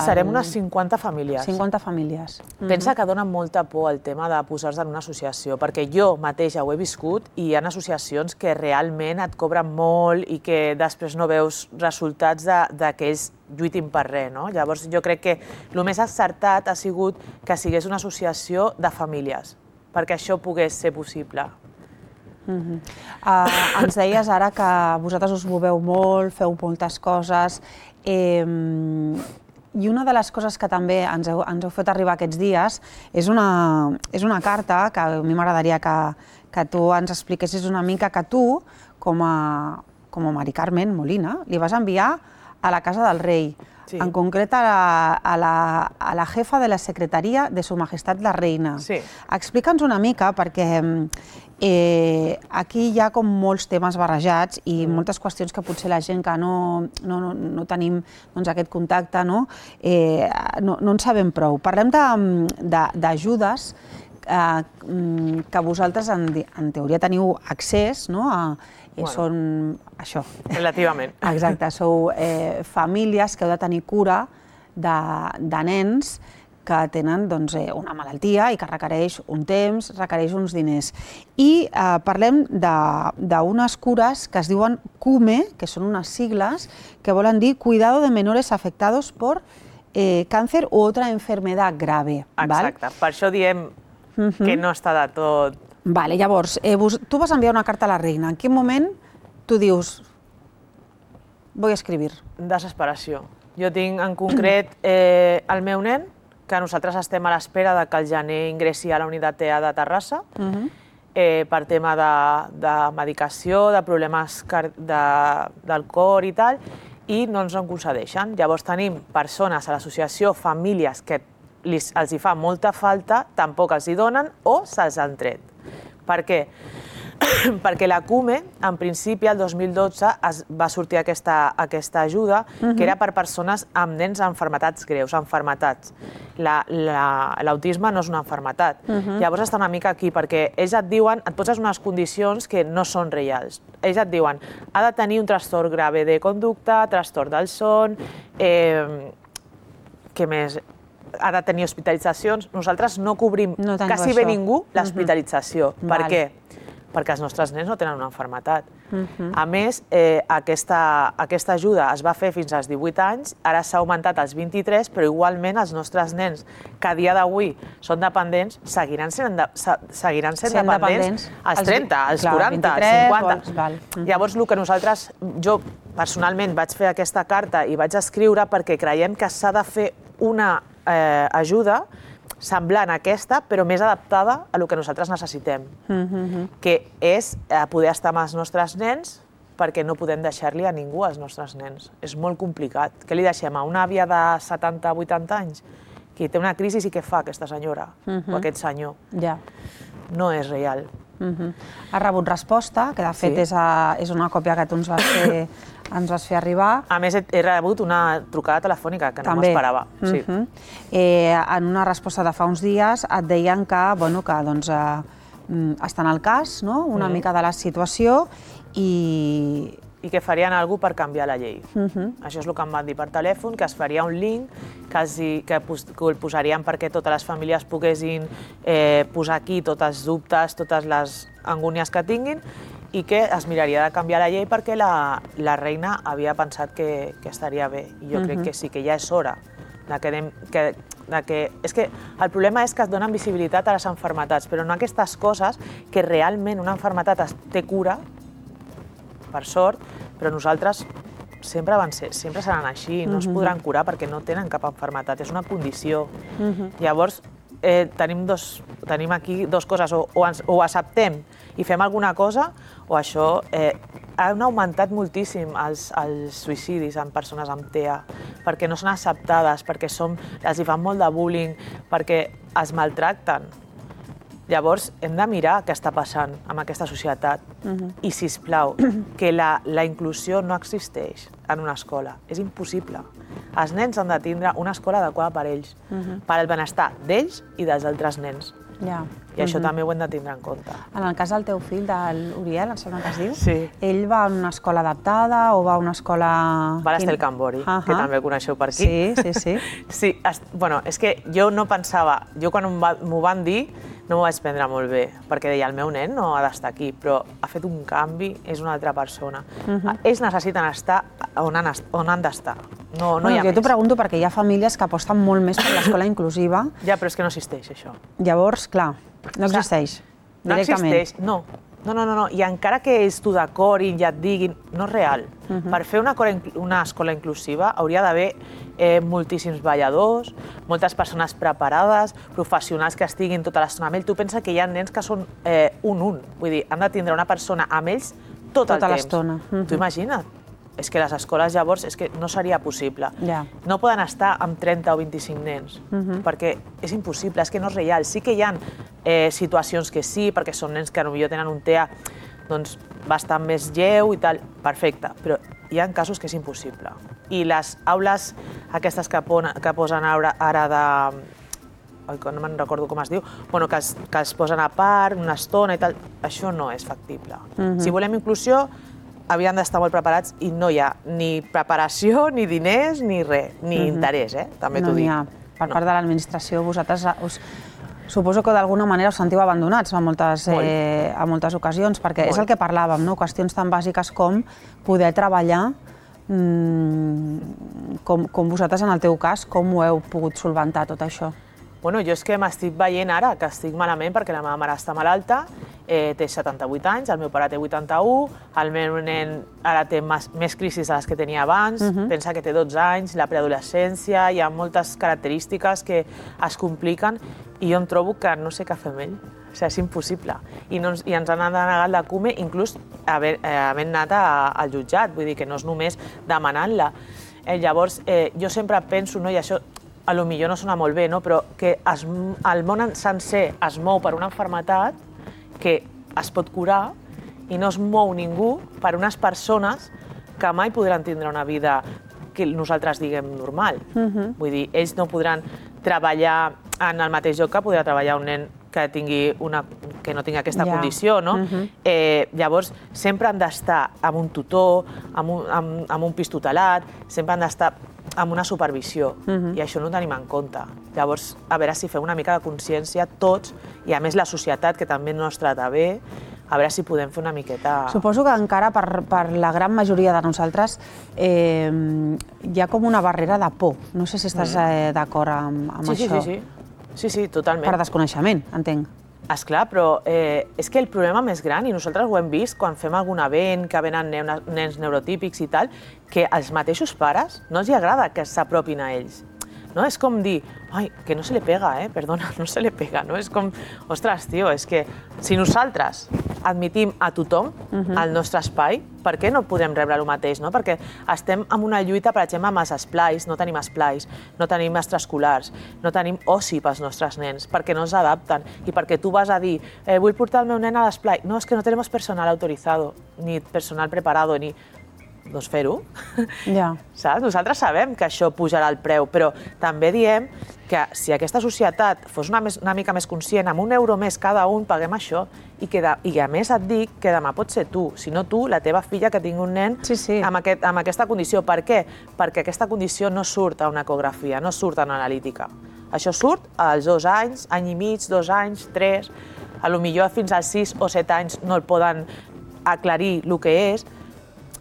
Speaker 3: Serem unes cinquanta famílies.
Speaker 1: cinquanta famílies.
Speaker 3: Pensa que dona molta por el tema de posar-se en una associació, perquè jo mateixa ho he viscut i hi ha associacions que realment et cobren molt i que després no veus resultats de que ells lluitin per res. Llavors jo crec que el més acertat ha sigut que sigués una associació de famílies, perquè això pogués ser possible.
Speaker 1: Ens deies ara que vosaltres us moveu molt, feu moltes coses, i una de les coses que també ens heu fet arribar aquests dies és una carta que a mi m'agradaria que tu ens expliquessis una mica, que tu, com a Mari Carmen Molina, li vas enviar a la Casa del Rei, en concret a la jefa de la secretaria de Su Majestat la Reina. Explica'ns una mica, perquè aquí hi ha com molts temes barrejats i moltes qüestions que potser la gent que no tenim aquest contacte no en sabem prou. Parlem d'ajudes que vosaltres en teoria teniu accés a... Són això.
Speaker 3: Relativament.
Speaker 1: Exacte, sou famílies que heu de tenir cura de nens que tenen una malaltia i que requereix un temps, requereix uns diners. I parlem d'unes cures que es diuen C U M E, que són unes sigles que volen dir Cuidado de Menores Afectados por Càncer u otra enfermedad grave.
Speaker 3: Exacte, per això diem que no està de tot...
Speaker 1: Vale, llavors, tu vas enviar una carta a la reina. En quin moment tu dius, voy a escribir?
Speaker 3: Desesperació. Jo tinc en concret el meu nen, que nosaltres estem a l'espera que al gener ingressi a la unitat E A de Terrassa, per tema de medicació, de problemes del cor i tal, i no ens en concedeixen. Llavors tenim persones a l'associació, famílies que els hi fa molta falta, tampoc els hi donen o se'ls han tret. Per què? Perquè la C U M E, en principi, el dos mil dotze, va sortir aquesta ajuda, que era per persones amb nens amb malalties greus, malalties. L'autisme no és una malaltia. Llavors està una mica aquí, perquè ells et diuen, et poses unes condicions que no són reals. Ells et diuen, ha de tenir un trastorn grave de conducta, trastorn del son, què més? Ha de tenir hospitalitzacions. Nosaltres no cobrim quasi bé ningú l'hospitalització. Per què? Perquè els nostres nens no tenen una malaltia. A més, aquesta ajuda es va fer fins als divuit anys, ara s'ha augmentat als vint-i-tres, però igualment els nostres nens, que a dia d'avui són dependents, seguiran sent dependents als trenta, als quaranta, als cinquanta. Llavors, el que nosaltres, jo personalment vaig fer aquesta carta i vaig escriure perquè creiem que s'ha de fer una ajuda semblant a aquesta, però més adaptada a el que nosaltres necessitem, que és poder estar amb els nostres nens perquè no podem deixar-li a ningú als nostres nens. És molt complicat. Què li deixem a una àvia de setanta o vuitanta anys? Que té una crisi i què fa aquesta senyora o aquest senyor? No és real.
Speaker 1: Has rebut resposta, que de fet és una còpia que tu ens vas fer ens vas fer arribar.
Speaker 3: A més, he rebut una trucada telefònica, que no m'esperava.
Speaker 1: En una resposta de fa uns dies et deien que estan al cas, una mica de la situació, i...
Speaker 3: i que farien alguna cosa per canviar la llei. Això és el que em van dir per telèfon, que es faria un link, que el posarien perquè totes les famílies poguessin posar aquí tots els dubtes, totes les angúnies que tinguin, i que es miraria de canviar la llei perquè la reina havia pensat que estaria bé. I jo crec que sí, que ja és hora que... És que el problema és que es donen visibilitat a les malalties, però no aquestes coses que realment una malaltia té cura, per sort, però nosaltres sempre seran així, no es podran curar perquè no tenen cap malaltia, és una condició. Llavors, tenim aquí dues coses, o ho acceptem i fem alguna cosa, o això... Han augmentat moltíssim els suïcidis en persones amb T E A, perquè no són acceptades, perquè els fan molt de bullying, perquè es maltracten. Llavors, hem de mirar què està passant amb aquesta societat. I, sisplau, que la inclusió no existeix en una escola. És impossible. Els nens han de tindre una escola adequada per ells, per al benestar d'ells i dels altres nens. I això també ho hem de tindre en compte.
Speaker 1: En el cas del teu fill, de l'Uriel, em sembla que es diu,
Speaker 3: sí.
Speaker 1: Ell va a una escola adaptada o va a una escola...
Speaker 3: Va a l'Estel Cambori, que també coneixeu per aquí.
Speaker 1: Sí, sí, sí.
Speaker 3: Sí, bueno, és que jo no pensava... Jo quan m'ho van dir no m'ho vaig prendre molt bé, perquè deia, el meu nen no ha d'estar aquí, però ha fet un canvi, és una altra persona. Ells necessiten estar on han d'estar. No hi ha més.
Speaker 1: Jo t'ho pregunto perquè hi ha famílies que aposten molt més per l'escola inclusiva.
Speaker 3: Ja, però és que no existeix, això.
Speaker 1: Llavors, clar, no existeix,
Speaker 3: directament. No existeix, no. No, no, no, i encara que ells t'ho decorin i et diguin, no és real. Per fer una escola inclusiva hauria d'haver moltíssims balladors, moltes persones preparades, professionals que estiguin tota l'estona amb ell. Tu pensa que hi ha nens que són un-un, vull dir, han de tindre una persona amb ells tot el temps.
Speaker 1: Tota l'estona.
Speaker 3: Tu imagina't. És que les escoles llavors és que no seria possible. No poden estar amb trenta o vint-i-cinc nens, perquè és impossible, és que no és real. Sí que hi ha situacions que sí, perquè són nens que potser tenen un T E A bastant més lleu i tal, perfecte, però hi ha casos que és impossible. I les aules aquestes que posen ara de... no me'n recordo com es diu, que es posen a part una estona i tal, això no és factible. Si volem inclusió, havien d'estar molt preparats i no hi ha ni preparació, ni diners, ni res, ni interès, també t'ho dic.
Speaker 1: per part de l'administració, vosaltres us... Suposo que d'alguna manera us sentiu abandonats a moltes, eh, a moltes ocasions, perquè és el que parlàvem, no? Qüestions tan bàsiques com poder treballar, mmm, com, com vosaltres en el teu cas, com ho heu pogut solventar tot això?
Speaker 3: Bueno, jo és que m'estic veient ara que estic malament perquè la meva mare està malalta, eh, té setanta-vuit anys, el meu pare té vuitanta-u, el meu nen ara té més, més crisis de les que tenia abans, uh-huh. pensa que té dotze anys, la preadolescència, hi ha moltes característiques que es compliquen i jo em trobo que no sé què fer amb ell. O sigui, és impossible. I, no ens, i ens han denegat la C U M E, inclús haver, eh, havent anat a, al jutjat, vull dir que no és només demanant-la. Eh, llavors, eh, jo sempre penso, no, i això a lo millor no sona molt bé, no? Però que es, el món sencer es mou per una malaltia que es pot curar i no es mou ningú per unes persones que mai podran tindre una vida que nosaltres diguem normal. Uh-huh. Vull dir, ells no podran treballar en el mateix lloc que podrà treballar un nen que, tingui una, que no tingui aquesta yeah. condició, no? Uh-huh. eh, llavors, sempre han d'estar amb un tutor, amb un, amb, amb un pis tutelat, sempre han d'estar amb una supervisió, uh-huh. i això no ho tenim en compte. Llavors, a veure si fem una mica de consciència tots, i a més la societat, que també no ens trata bé, a veure si podem fer una miqueta...
Speaker 1: Suposo que encara per, per la gran majoria de nosaltres eh, hi ha com una barrera de por. No sé si estàs eh, d'acord amb, amb
Speaker 3: sí,
Speaker 1: això.
Speaker 3: Sí, sí, sí. sí, sí, totalment.
Speaker 1: Per desconeixement, entenc.
Speaker 3: Esclar, però eh, és que el problema més gran, i nosaltres ho hem vist quan fem algun event, que venen nens neurotípics i tal, que als mateixos pares no els agrada que s'apropin a ells. No? És com dir, ai, que no se le pega, eh? Perdona, no se le pega, no? És com, ostres, tio, és que si nosaltres admitim a tothom uh-huh. al nostre espai, per què no podem rebre el mateix, no? Perquè estem en una lluita, per exemple, amb els esplais, no tenim esplais, no tenim extraescolars, no tenim oci pels nostres nens, perquè no s'adapten, i perquè tu vas a dir, eh, vull portar el meu nen a l'esplai, no, és que no tenim personal autorizado, ni personal preparado, ni... doncs fer-ho.
Speaker 1: Ja.
Speaker 3: Saps? Nosaltres sabem que això pujarà el preu, però també diem que si aquesta societat fos una, més, una mica més conscient, amb un euro més cada un paguem això, i, que de, i a més et dic que demà pot ser tu, si no tu, la teva filla que tingui un nen
Speaker 1: sí, sí.
Speaker 3: Amb, aquest, amb aquesta condició. Per què? Perquè aquesta condició no surt a una ecografia, no surt a una analítica. Això surt als dos anys, any i mig, dos anys, tres, a lo millor fins als sis o set anys no el poden aclarir el que és.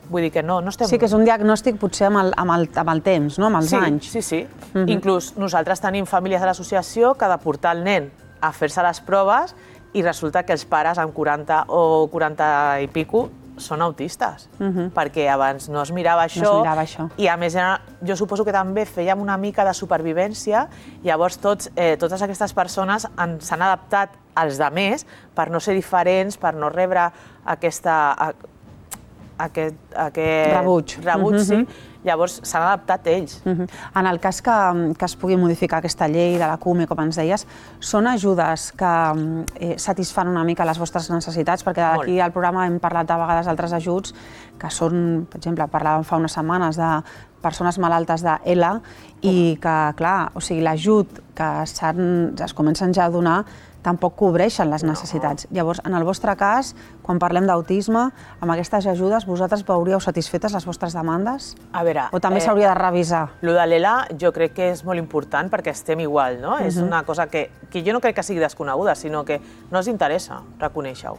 Speaker 3: Vull dir que no, no estem...
Speaker 1: Sí, que és un diagnòstic potser amb el, amb el, amb el temps, no? Amb els
Speaker 3: sí,
Speaker 1: anys.
Speaker 3: Sí, sí. Uh-huh. Inclús nosaltres tenim famílies de l'associació que ha de portar el nen a fer-se les proves i resulta que els pares amb quaranta o quaranta i pico són autistes, uh-huh. perquè abans no es mirava això,
Speaker 1: no es mirava això.
Speaker 3: I a més jo suposo que també fèiem una mica de supervivència, llavors tots, eh, totes aquestes persones s'han adaptat als demés per no ser diferents, per no rebre aquesta... aquest, aquest
Speaker 1: rebuig,
Speaker 3: rebuig
Speaker 1: uh-huh.
Speaker 3: sí. Llavors s'han adaptat ells.
Speaker 1: Uh-huh. En el cas que, que es pugui modificar aquesta llei de la C U M E, com ens deies, són ajudes que eh, satisfan una mica les vostres necessitats? Perquè aquí al programa hem parlat de vegades d'altres ajuts que són, per exemple, parlàvem fa unes setmanes de persones malaltes de ELA i que, clar, o sigui, l'ajut que es comencen ja a donar tampoc cobreixen les necessitats. No. Llavors, en el vostre cas, quan parlem d'autisme, amb aquestes ajudes, vosaltres veuríeu satisfetes les vostres demandes?
Speaker 3: A veure...
Speaker 1: O també s'hauria eh, de revisar?
Speaker 3: Lo de l'ELA jo crec que és molt important perquè estem igual, no? Uh-huh. És una cosa que, que jo no crec que sigui desconeguda, sinó que no els interessa reconèixer-ho.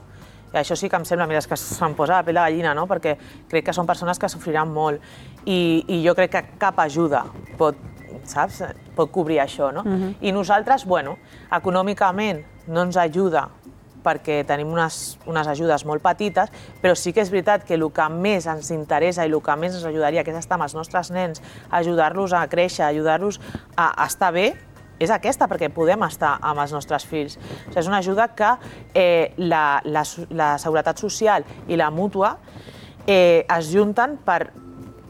Speaker 3: I això sí que em sembla, mira, és que se'm posa la pell de gallina, no? Perquè crec que són persones que sofriran molt i, i jo crec que cap ajuda pot, saps? Pot cobrir això, no? Uh-huh. I nosaltres, bueno, econòmicament no ens ajuda perquè tenim unes, unes ajudes molt petites, però sí que és veritat que el que més ens interessa i el que més ens ajudaria, que és estar amb els nostres nens, ajudar-los a créixer, ajudar-los a, a estar bé, és aquesta, perquè podem estar amb els nostres fills. O sigui, és una ajuda que eh, la, la, la Seguretat Social i la Mútua eh, es junten per,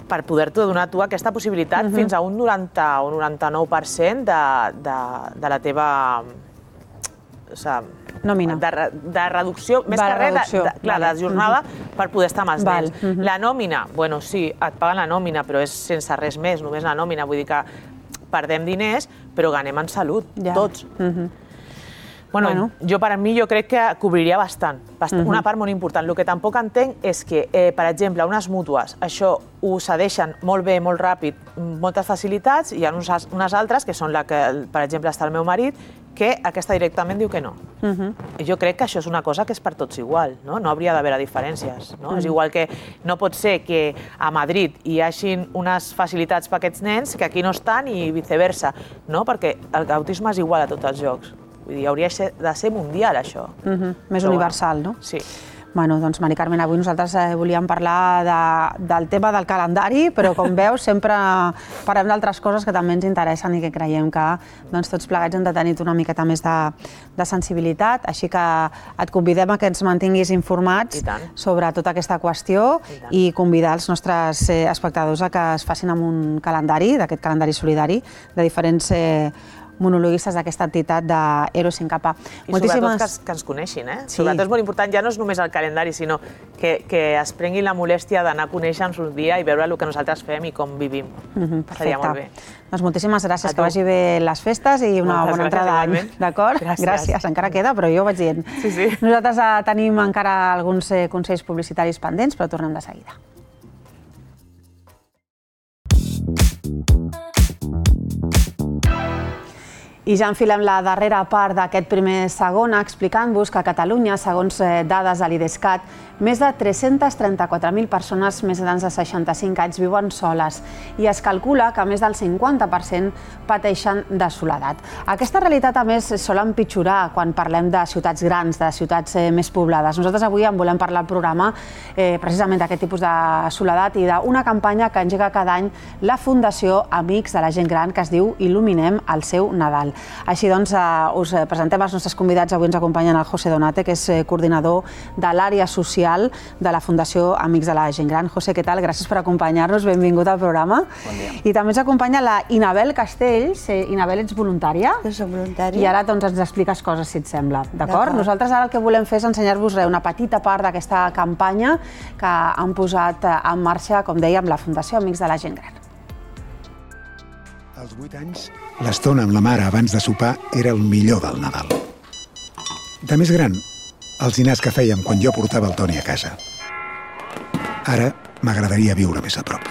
Speaker 3: per poder-te donar tu aquesta possibilitat uh-huh. fins a un noranta o noranta-nou per cent de, de, de la teva... O sigui,
Speaker 1: nòmina.
Speaker 3: De, de reducció, més que res, de, de, clar, de jornada uh-huh. per poder estar amb els
Speaker 1: Val.
Speaker 3: nens. Uh-huh. La nòmina, bueno, sí, et paguen la nòmina, però és sense res més, només la nòmina, vull dir que perdem diners, però ganem en salut, ja. Tots. Uh-huh. Bueno, jo per a mi jo crec que cobriria bastant, una part molt important. El que tampoc entenc és que, per exemple, unes mútues, això ho cedeixen molt bé, molt ràpid, moltes facilitats, i hi ha unes altres, que són la que, per exemple, està el meu marit, que aquesta directament diu que no. Jo crec que això és una cosa que és per tots igual, no hauria d'haver diferències. És igual que no pot ser que a Madrid hi hagin unes facilitats per aquests nens que aquí no estan i viceversa, perquè l'autisme és igual a tots els llocs. Vull dir, hauria de ser mundial, això.
Speaker 1: Més universal, no?
Speaker 3: Sí.
Speaker 1: Bueno, doncs, Mari Carmen, avui nosaltres volíem parlar del tema del calendari, però, com veus, sempre parlem d'altres coses que també ens interessen i que creiem que tots plegats hem de tenir una miqueta més de sensibilitat, així que et convidem a que ens mantinguis informats sobre tota aquesta qüestió i convidar els nostres espectadors a que es facin amb un calendari, d'aquest calendari solidari, de diferents monologuistes d'aquesta entitat d'Eros sin Capa.
Speaker 3: I sobretot que ens coneixin, eh? Sobretot és molt important, ja no és només el calendari, sinó que es prenguin la molèstia d'anar a conèixer-nos un dia i veure el que nosaltres fem i com vivim. Seria molt bé.
Speaker 1: Doncs moltíssimes gràcies, que vagi bé les festes i una bona entrada d'any. D'acord? Gràcies. Encara queda, però jo ho vaig dient. Nosaltres tenim encara alguns consells publicitaris pendents, però tornem de seguida. I ja enfilem la darrera part d'aquest primer segon explicant-vos que a Catalunya, segons dades de l'Idescat, més de tres-centes trenta-quatre mil persones més grans de seixanta-cinc anys viuen soles i es calcula que més del cinquanta per cent pateixen de soledat. Aquesta realitat, a més, sol empitjorar quan parlem de ciutats grans, de ciutats més poblades. Nosaltres avui en volem parlar al programa precisament d'aquest tipus de soledat i d'una campanya que engega cada any la Fundació Amics de la Gent Gran, que es diu Il·luminem el seu Nadal. Així doncs, us presentem els nostres convidats. Avui ens acompanyen el José Donate, que és coordinador de l'àrea social de la Fundació Amics de la Gent Gran. José, què tal? Gràcies per acompanyar-nos. Benvingut al programa.
Speaker 4: Bon dia.
Speaker 1: I també ens acompanya la Inabel Castells. Inabel, ets voluntària?
Speaker 5: Jo soc voluntària.
Speaker 1: I ara doncs, ens expliques coses, si et sembla. D'acord? Nosaltres ara el que volem fer és ensenyar-vos una petita part d'aquesta campanya que han posat en marxa, com dèiem, la Fundació Amics de la Gent Gran.
Speaker 6: Als vuit anys, l'estona amb la mare abans de sopar era el millor del Nadal. De més gran, els dinars que fèiem quan jo portava el Toni a casa. Ara m'agradaria viure més a prop.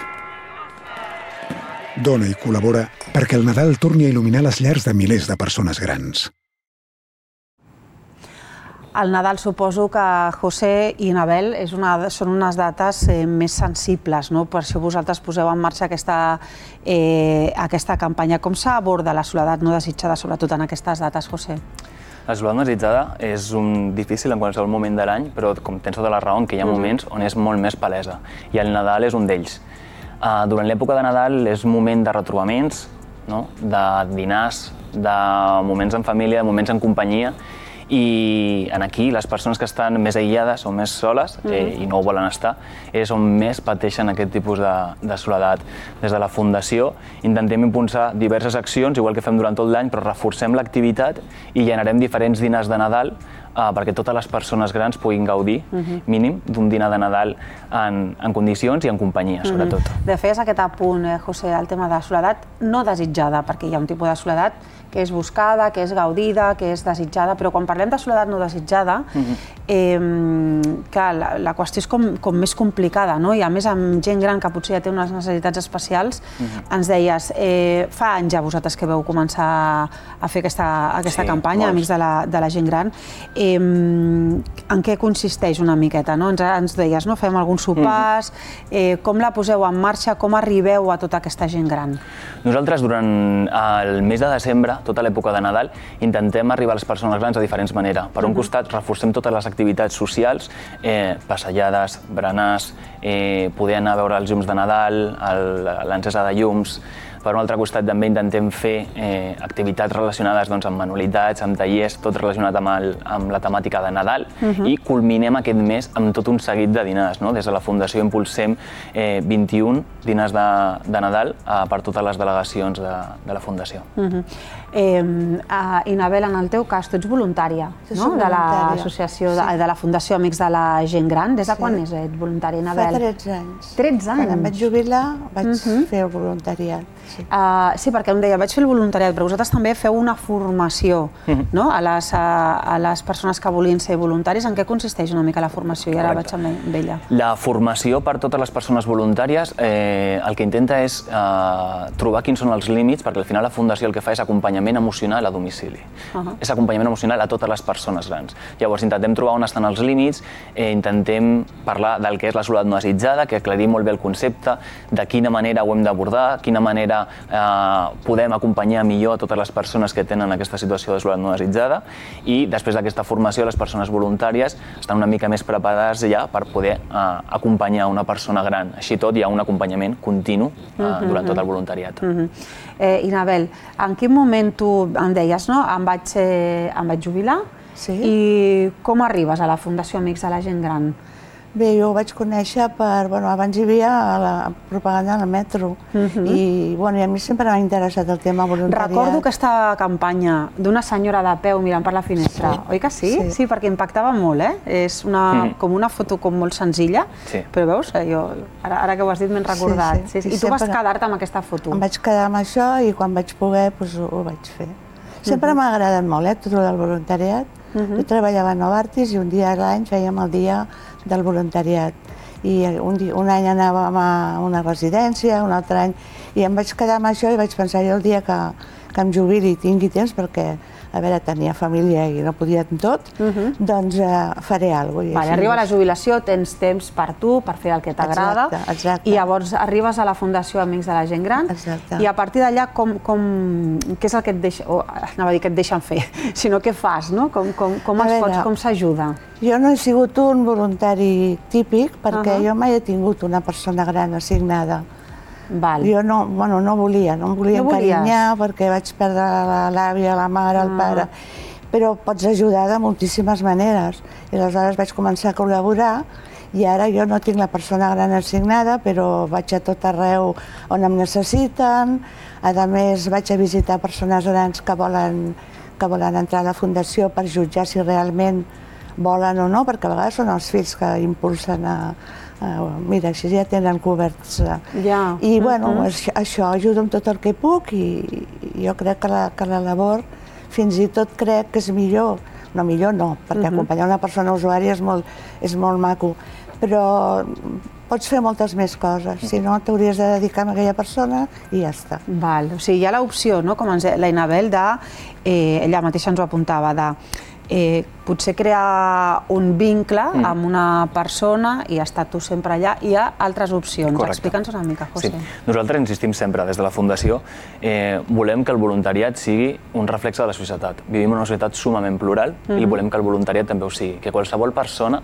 Speaker 6: Dona i col·labora perquè el Nadal torni a il·luminar les llars de milers de persones grans.
Speaker 1: El Nadal, suposo que, José i Inabel, són unes dates més sensibles, no? Per això vosaltres poseu en marxa aquesta campanya. Com s'aborda la soledat no desitjada, sobretot en aquestes dates, José?
Speaker 4: La soledat no desitjada és difícil en qualsevol moment de l'any, però com tens tota la raó, que hi ha moments on és molt més palesa, i el Nadal és un d'ells. Durant l'època de Nadal és un moment de retrobaments, de dinars, de moments en família, de moments en companyia, i aquí les persones que estan més aïllades o més soles i no ho volen estar és on més pateixen aquest tipus de soledat. Des de la Fundació intentem impulsar diverses accions, igual que fem durant tot l'any, però reforcem l'activitat i generem diferents dinars de Nadal perquè totes les persones grans puguin gaudir, mínim, d'un dinar de Nadal en condicions i en companyia, sobretot.
Speaker 1: De feies aquest apunt, José, al tema de soledat no desitjada, perquè hi ha un tipus de soledat que és buscada, que és gaudida, que és desitjada, però quan parlem de soledat no desitjada, la qüestió és com més complicada, no? I a més amb gent gran que potser ja té unes necessitats especials, ens deies, fa anys ja vosaltres que veu començar a fer aquesta campanya, Amics de la Gent Gran. En què consisteix una miqueta? Ens deies, fem alguns sopars, com la poseu en marxa, com arribeu a tota aquesta gent gran?
Speaker 4: Nosaltres durant el mes de desembre, tota l'època de Nadal, intentem arribar a les persones grans de diferents maneres. Per un costat, reforcem totes les activitats socials, passejades, berenars, poder anar a veure els llums de Nadal, l'encesa de llums. Per un altre costat també intentem fer activitats relacionades amb manualitats, amb tallers, tot relacionat amb la temàtica de Nadal i culminem aquest mes amb tot un seguit de dinars. Des de la Fundació impulsem vint-i-un dinars de Nadal per totes les delegacions de la Fundació.
Speaker 1: Inabel, en el teu cas, tu ets voluntària de l'associació, de la Fundació Amics de la Gent Gran. Des de quan ets voluntària, Inabel?
Speaker 5: Fa tretze anys.
Speaker 1: tretze anys?
Speaker 5: Quan em vaig jubilar vaig fer el voluntariat.
Speaker 1: Sí, perquè em deia, vaig fer el voluntariat, però vosaltres també feu una formació a les persones que volien ser voluntaris. En què consisteix una mica la formació? I ara vaig amb ella.
Speaker 4: La formació per totes les persones voluntàries el que intenta és trobar quins són els límits, perquè al final la Fundació el que fa és acompanyament emocional a domicili. És acompanyament emocional a totes les persones grans. Llavors intentem trobar on estan els límits, intentem parlar del que és la soledat no desitjada, que aclarim molt bé el concepte, de quina manera ho hem d'abordar, quina manera podem acompanyar millor a totes les persones que tenen aquesta situació de soledat no desitjada, i després d'aquesta formació les persones voluntàries estan una mica més preparades ja per poder acompanyar una persona gran. Així tot hi ha un acompanyament continu durant tot el voluntariat.
Speaker 1: Inabel, en quin moment tu em deies, no? Em vaig jubilar i com arribes a la Fundació Amics de la Gent Gran?
Speaker 5: Bé, jo ho vaig conèixer per... Abans hi havia la propaganda al metro i a mi sempre m'ha interessat el tema voluntariat.
Speaker 1: Recordo aquesta campanya d'una senyora de peu mirant per la finestra, oi que sí? Sí, perquè impactava molt, eh? És com una foto molt senzilla, però veus, ara que ho has dit m'he recordat. I tu vas quedar-te amb aquesta foto?
Speaker 5: Em vaig quedar amb això i quan vaig poder ho vaig fer. Sempre m'ha agradat molt, eh, tot el voluntariat. Jo treballava a Novartis i un dia a l'any fèiem el dia del voluntariat. I un any anàvem a una residència, un altre any... I em vaig quedar amb això i vaig pensar jo el dia que em jubili i tingui temps, perquè, a veure, tenia família i no podia amb tot, doncs faré alguna cosa.
Speaker 1: Arriba la jubilació, tens temps per tu, per fer el que t'agrada, i llavors arribes a la Fundació Amics de la Gent Gran, i a partir d'allà, què és el que et deixen, anava a dir que et deixen fer, sinó què fas, no? Com es pots, com s'ajuda?
Speaker 5: Jo no he sigut un voluntari típic, perquè jo mai he tingut una persona gran assignada. Jo no volia, no em volia encarinyar perquè vaig perdre l'àvia, la mare, el pare, però pots ajudar de moltíssimes maneres. I aleshores vaig començar a col·laborar i ara jo no tinc la persona gran assignada, però vaig a tot arreu on em necessiten. A més, vaig a visitar persones grans que volen entrar a la Fundació per jutjar si realment volen o no, perquè a vegades són els fills que impulsen a... Mira, així ja tenen coberts. I, bueno, això, ajudo amb tot el que puc i jo crec que la labor fins i tot crec que és millor. No, millor no, perquè acompanyar una persona usuària és molt maco, però pots fer moltes més coses. Si no, t'hauries de dedicar a aquella persona i ja està.
Speaker 1: Val, o sigui, hi ha l'opció, no?, com la Inabel, ella mateixa ens ho apuntava, de potser crear un vincle amb una persona i estar tu sempre allà. Hi ha altres opcions. Explica'ns una mica, José.
Speaker 4: Nosaltres insistim sempre des de la Fundació, volem que el voluntariat sigui un reflex de la societat. Vivim en una societat sumament plural i volem que el voluntariat també ho sigui, que qualsevol persona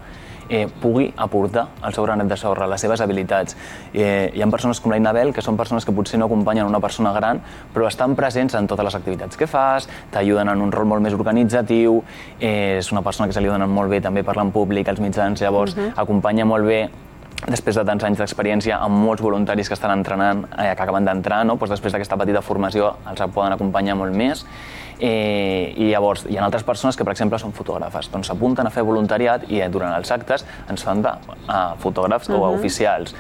Speaker 4: pugui aportar el seu granet de sorra, les seves habilitats. Hi ha persones com la Inabel, que són persones que potser no acompanyen una persona gran, però estan presents en totes les activitats que fas, t'ajuden en un rol molt més organitzatiu, és una persona que se li dona molt bé també parlar en públic, als mitjans, llavors acompanya molt bé després de tants anys d'experiència amb molts voluntaris que estan entrenant, que acaben d'entrar, després d'aquesta petita formació els poden acompanyar molt més. I llavors hi ha altres persones que, per exemple, són fotògrafes, doncs s'apunten a fer voluntariat i durant els actes ens fan de fotògrafs o oficials.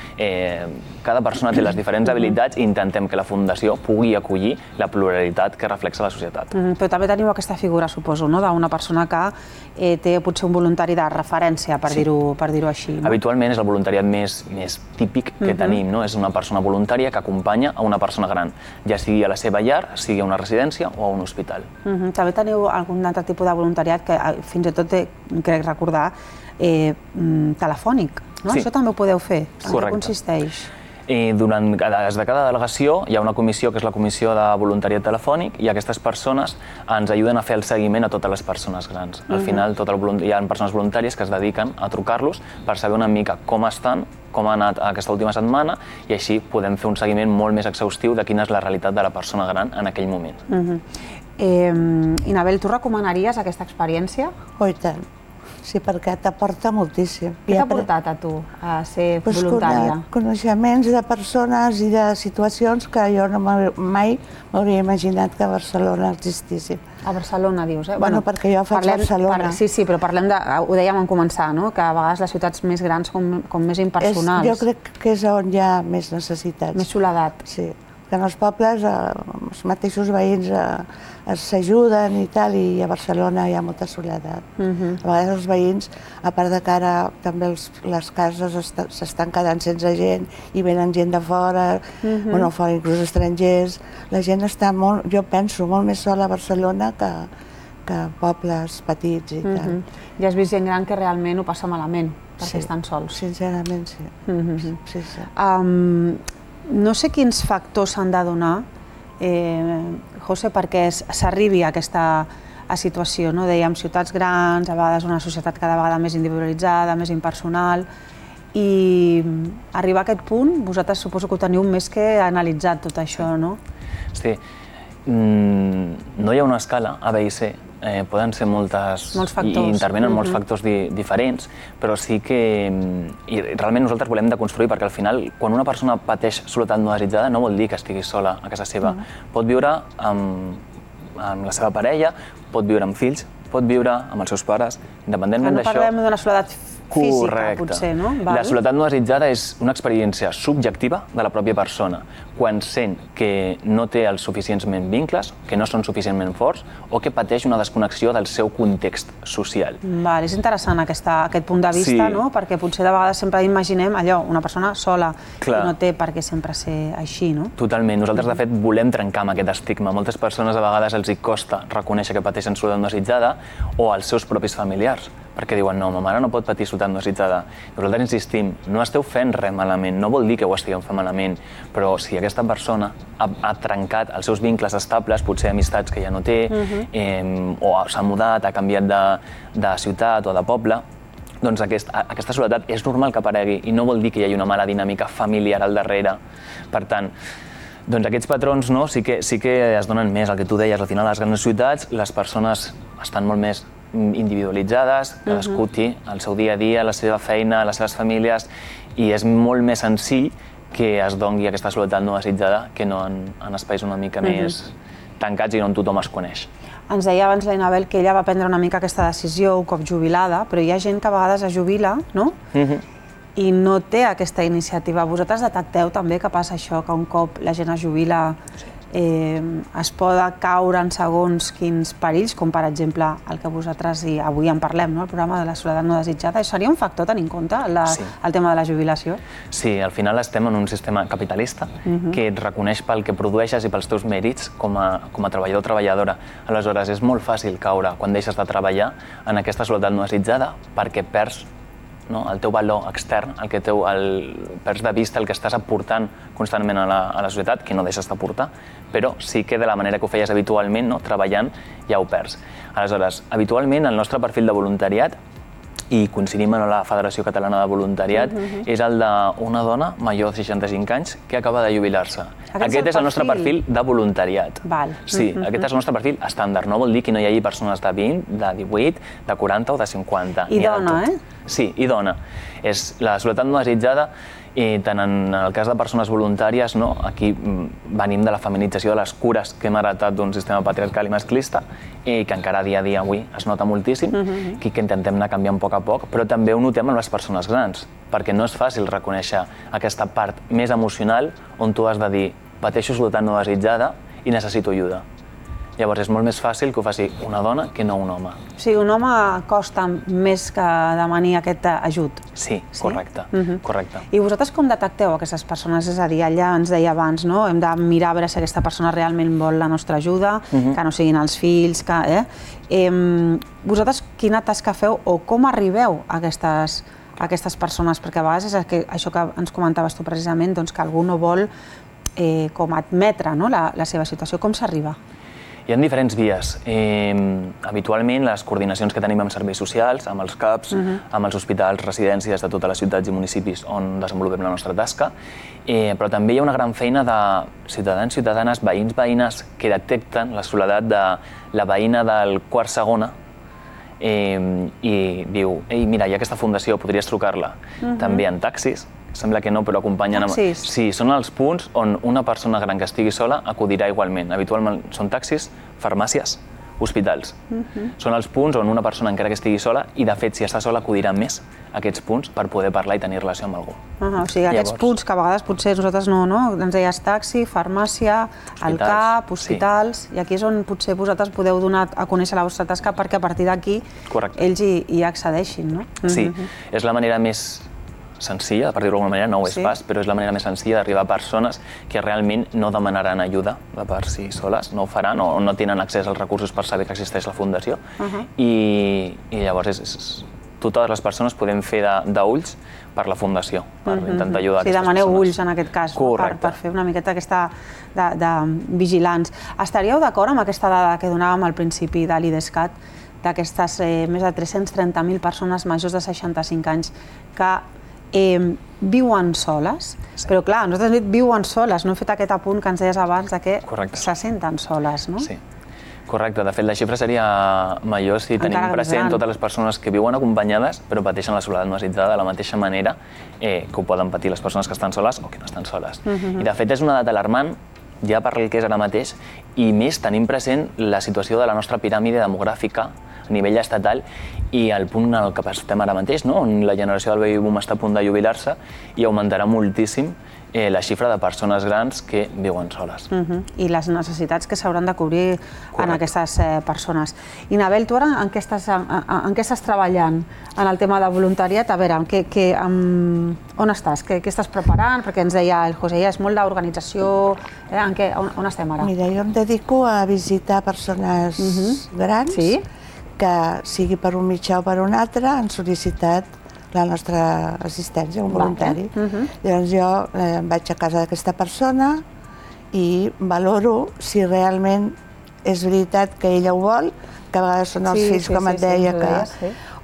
Speaker 4: Cada persona té les diferents habilitats i intentem que la Fundació pugui acollir la pluralitat que reflexa la societat.
Speaker 1: Però també teniu aquesta figura, suposo, d'una persona que té potser un voluntari de referència, per dir-ho així.
Speaker 4: Habitualment és el voluntariat més típic que tenim, és una persona voluntària que acompanya a una persona gran, ja sigui a la seva llar, sigui a una residència o a un hospital.
Speaker 1: També teniu algun altre tipus de voluntariat que fins i tot, crec recordar, telefònic. Això també ho podeu fer. En què consisteix?
Speaker 4: Des de cada delegació hi ha una comissió que és la Comissió de Voluntariat Telefònic i aquestes persones ens ajuden a fer el seguiment a totes les persones grans. Al final hi ha persones voluntàries que es dediquen a trucar-los per saber una mica com estan, com ha anat aquesta última setmana i així podem fer un seguiment molt més exhaustiu de quina és la realitat de la persona gran en aquell moment.
Speaker 1: Inabel, tu recomanaries aquesta experiència?
Speaker 5: Oh, i tant. Sí, perquè t'aporta moltíssim.
Speaker 1: Què t'ha portat a tu a ser voluntària?
Speaker 5: Coneixements de persones i de situacions que jo mai m'hauria imaginat que a Barcelona existissin.
Speaker 1: A Barcelona, dius, eh?
Speaker 5: Bueno, perquè jo faig Barcelona.
Speaker 1: Sí, sí, però parlem de... Ho dèiem en començar, no? Que a vegades les ciutats més grans com més impersonals.
Speaker 5: Jo crec que és on hi ha més necessitats.
Speaker 1: Més soledat.
Speaker 5: Sí, que en els pobles els mateixos veïns s'ajuden i tal, i a Barcelona hi ha molta soledat. A vegades els veïns, a part de que ara també les cases s'estan quedant sense gent i venen gent de fora, bueno, fora inclús estrangers, la gent està molt, jo penso, molt més sola a Barcelona que que pobles petits i tal.
Speaker 1: Ja has vist gent gran que realment ho passa malament, perquè estan sols.
Speaker 5: Sincerament, sí.
Speaker 1: No sé quins factors s'han de donar, José, perquè s'arribi a aquesta situació. Dèiem, ciutats grans, a vegades una societat cada vegada més individualitzada, més impersonal, i arribar a aquest punt, vosaltres suposo que ho teniu més que analitzat tot això, no?
Speaker 4: Sí. No hi ha una escala A, B i C. Poden ser moltes... i intervenen molts factors diferents, però sí que... i realment nosaltres volem deconstruir, perquè al final, quan una persona pateix soledat no desitjada, no vol dir que estigui sola a casa seva. Pot viure amb la seva parella, pot viure amb fills, pot viure amb els seus pares, independentment d'això...
Speaker 1: No parlem d'una soledat física, potser, no?
Speaker 4: La soledat no desitjada és una experiència subjectiva de la pròpia persona, quan sent que no té els suficientment vincles, que no són suficientment forts, o que pateix una desconnexió del seu context social.
Speaker 1: És interessant aquest punt de vista, perquè potser de vegades sempre imaginem allò, una persona sola, i no té per què sempre ser així, no?
Speaker 4: Totalment. Nosaltres, de fet, volem trencar amb aquest estigma. Moltes persones a vegades els hi costa reconèixer que pateixen soledat no desitjada, o als seus propis familiars, perquè diuen, no, ma mare no pot patir soledat no desitjada. Nosaltres insistim, no esteu fent res malament, no vol dir que ho estigueu fent malament, però si aquesta persona ha trencat els seus vincles estables, potser amistats que ja no té, o s'ha mudat, ha canviat de ciutat o de poble, doncs aquesta soledat és normal que aparegui i no vol dir que hi hagi una mala dinàmica familiar al darrere. Per tant, doncs aquests patrons sí que es donen més, el que tu deies, al final a les grans ciutats les persones estan molt més individualitzades, cadascú té el seu dia a dia, la seva feina, les seves famílies, i és molt més senzill que es doni aquesta soledat no desitjada que no en espais una mica més tancats i on tothom es coneix.
Speaker 1: Ens deia abans la Inabel que ella va prendre una mica aquesta decisió un cop jubilada, però hi ha gent que a vegades es jubila, no? I no té aquesta iniciativa. Vosaltres detecteu també que passa això, que un cop la gent es jubila es pot caure en segons quins perills, com per exemple el que vosaltres avui en parlem, el programa de la soledat no desitjada. Seria un factor tenir en compte el tema de la jubilació?
Speaker 4: Sí, al final estem en un sistema capitalista que et reconeix pel que produeixes i pels teus mèrits com a treballador o treballadora. Aleshores, és molt fàcil caure quan deixes de treballar en aquesta soledat no desitjada perquè perds el teu valor extern, el que perds de vista el que estàs aportant constantment a la societat, que no deixes d'aportar, però sí que de la manera que ho feies habitualment, treballant, ja ho perds. Aleshores, habitualment el nostre perfil de voluntariat, i coincidim amb la Federació Catalana de Voluntariat, és el d'una dona major de seixanta-cinc anys que acaba de jubilar-se. Aquest és el nostre perfil de voluntariat. Sí, aquest és el nostre perfil estàndard. No vol dir que no hi hagi persones de vint, de divuit, de quaranta o de cinquanta.
Speaker 1: I dona, eh?
Speaker 4: Sí, i dona. És la soledat no desitjada, i tant en el cas de persones voluntàries, aquí venim de la feminització de les cures que hem heretat d'un sistema patriarcal i masclista i que encara dia a dia avui es nota moltíssim, que intentem anar canviant a poc a poc, però també ho notem en les persones grans, perquè no és fàcil reconèixer aquesta part més emocional on tu has de dir pateixo soledat no desitjada i necessito ajuda. Llavors és molt més fàcil que ho faci una dona que no un home.
Speaker 1: O sigui, un home costa més que demanar aquest ajut.
Speaker 4: Sí, correcte, correcte.
Speaker 1: I vosaltres com detecteu aquestes persones? És a dir, ella ens deia abans, no? Hem de mirar a veure si aquesta persona realment vol la nostra ajuda, que no siguin els fills, que... Vosaltres quina tasca feu o com arribeu a aquestes persones? Perquè a vegades és això que ens comentaves tu precisament, que algú no vol com admetre la seva situació. Com s'arriba?
Speaker 4: Hi ha diferents vies. Habitualment, les coordinacions que tenim amb serveis socials, amb els CAPs, amb els hospitals, residències de totes les ciutats i municipis on desenvolupem la nostra tasca, però també hi ha una gran feina de ciutadans, ciutadanes, veïns, veïnes que detecten la soledat de la veïna del quart segona i diu, ei, mira, hi ha aquesta fundació, podries trucar-la. També en taxis, sembla que no, però acompanyen...
Speaker 1: Taxis?
Speaker 4: Sí, són els punts on una persona gran que estigui sola acudirà igualment. Habitualment són taxis, farmàcies, hospitals. Són els punts on una persona, encara que estigui sola, i de fet, si està sola, acudirà més a aquests punts per poder parlar i tenir relació amb algú.
Speaker 1: O sigui, aquests punts que a vegades potser nosaltres no, no? Ens deies taxi, farmàcia, el CAP, hospitals, i aquí és on potser vosaltres podeu donar a conèixer la vostra tasca perquè a partir d'aquí ells hi accedeixin, no?
Speaker 4: Sí, és la manera més senzilla, per dir-ho d'alguna manera, no ho és pas, però és la manera més senzilla d'arribar a persones que realment no demanaran ajuda de per si soles, no ho faran o no tenen accés als recursos per saber que existeix la fundació. I llavors totes les persones podem fer d'ulls per la fundació, per intentar ajudar aquestes persones.
Speaker 1: Si demaneu ulls en aquest cas, per fer una miqueta aquesta de vigilants. Estaríeu d'acord amb aquesta dada que donàvem al principi de l'IDESCAT, d'aquestes més de tres-cents trenta mil persones majors de seixanta-cinc anys que viuen soles, però clar, nosaltres hem dit viuen soles, no hem fet aquest apunt que ens deies abans que se senten soles, no?
Speaker 4: Sí, correcte. De fet, la xifra seria major si tenim present totes les persones que viuen acompanyades però pateixen la soledat massificada de la mateixa manera que ho poden patir les persones que estan soles o que no estan soles. I de fet és una dada alarmant ja per el que és ara mateix i més tenim present la situació de la nostra piràmide demogràfica a nivell estatal i el punt en el que estem ara mateix, on la generació del baby boom està a punt de jubilar-se i augmentarà moltíssim la xifra de persones grans que viuen soles.
Speaker 1: I les necessitats que s'hauran de cobrir en aquestes persones. I Nabel, tu ara en què estàs treballant en el tema de voluntariat? A veure, on estàs? Què estàs preparant? Perquè ens deia el José, és molt d'organització. On estem ara?
Speaker 5: Mira, jo em dedico a visitar persones grans que, sigui per un mitjà o per un altre, han sol·licitat la nostra assistència, un voluntari. Llavors jo vaig a casa d'aquesta persona i valoro si realment és veritat que ella ho vol, que a vegades són els fills, com et deia,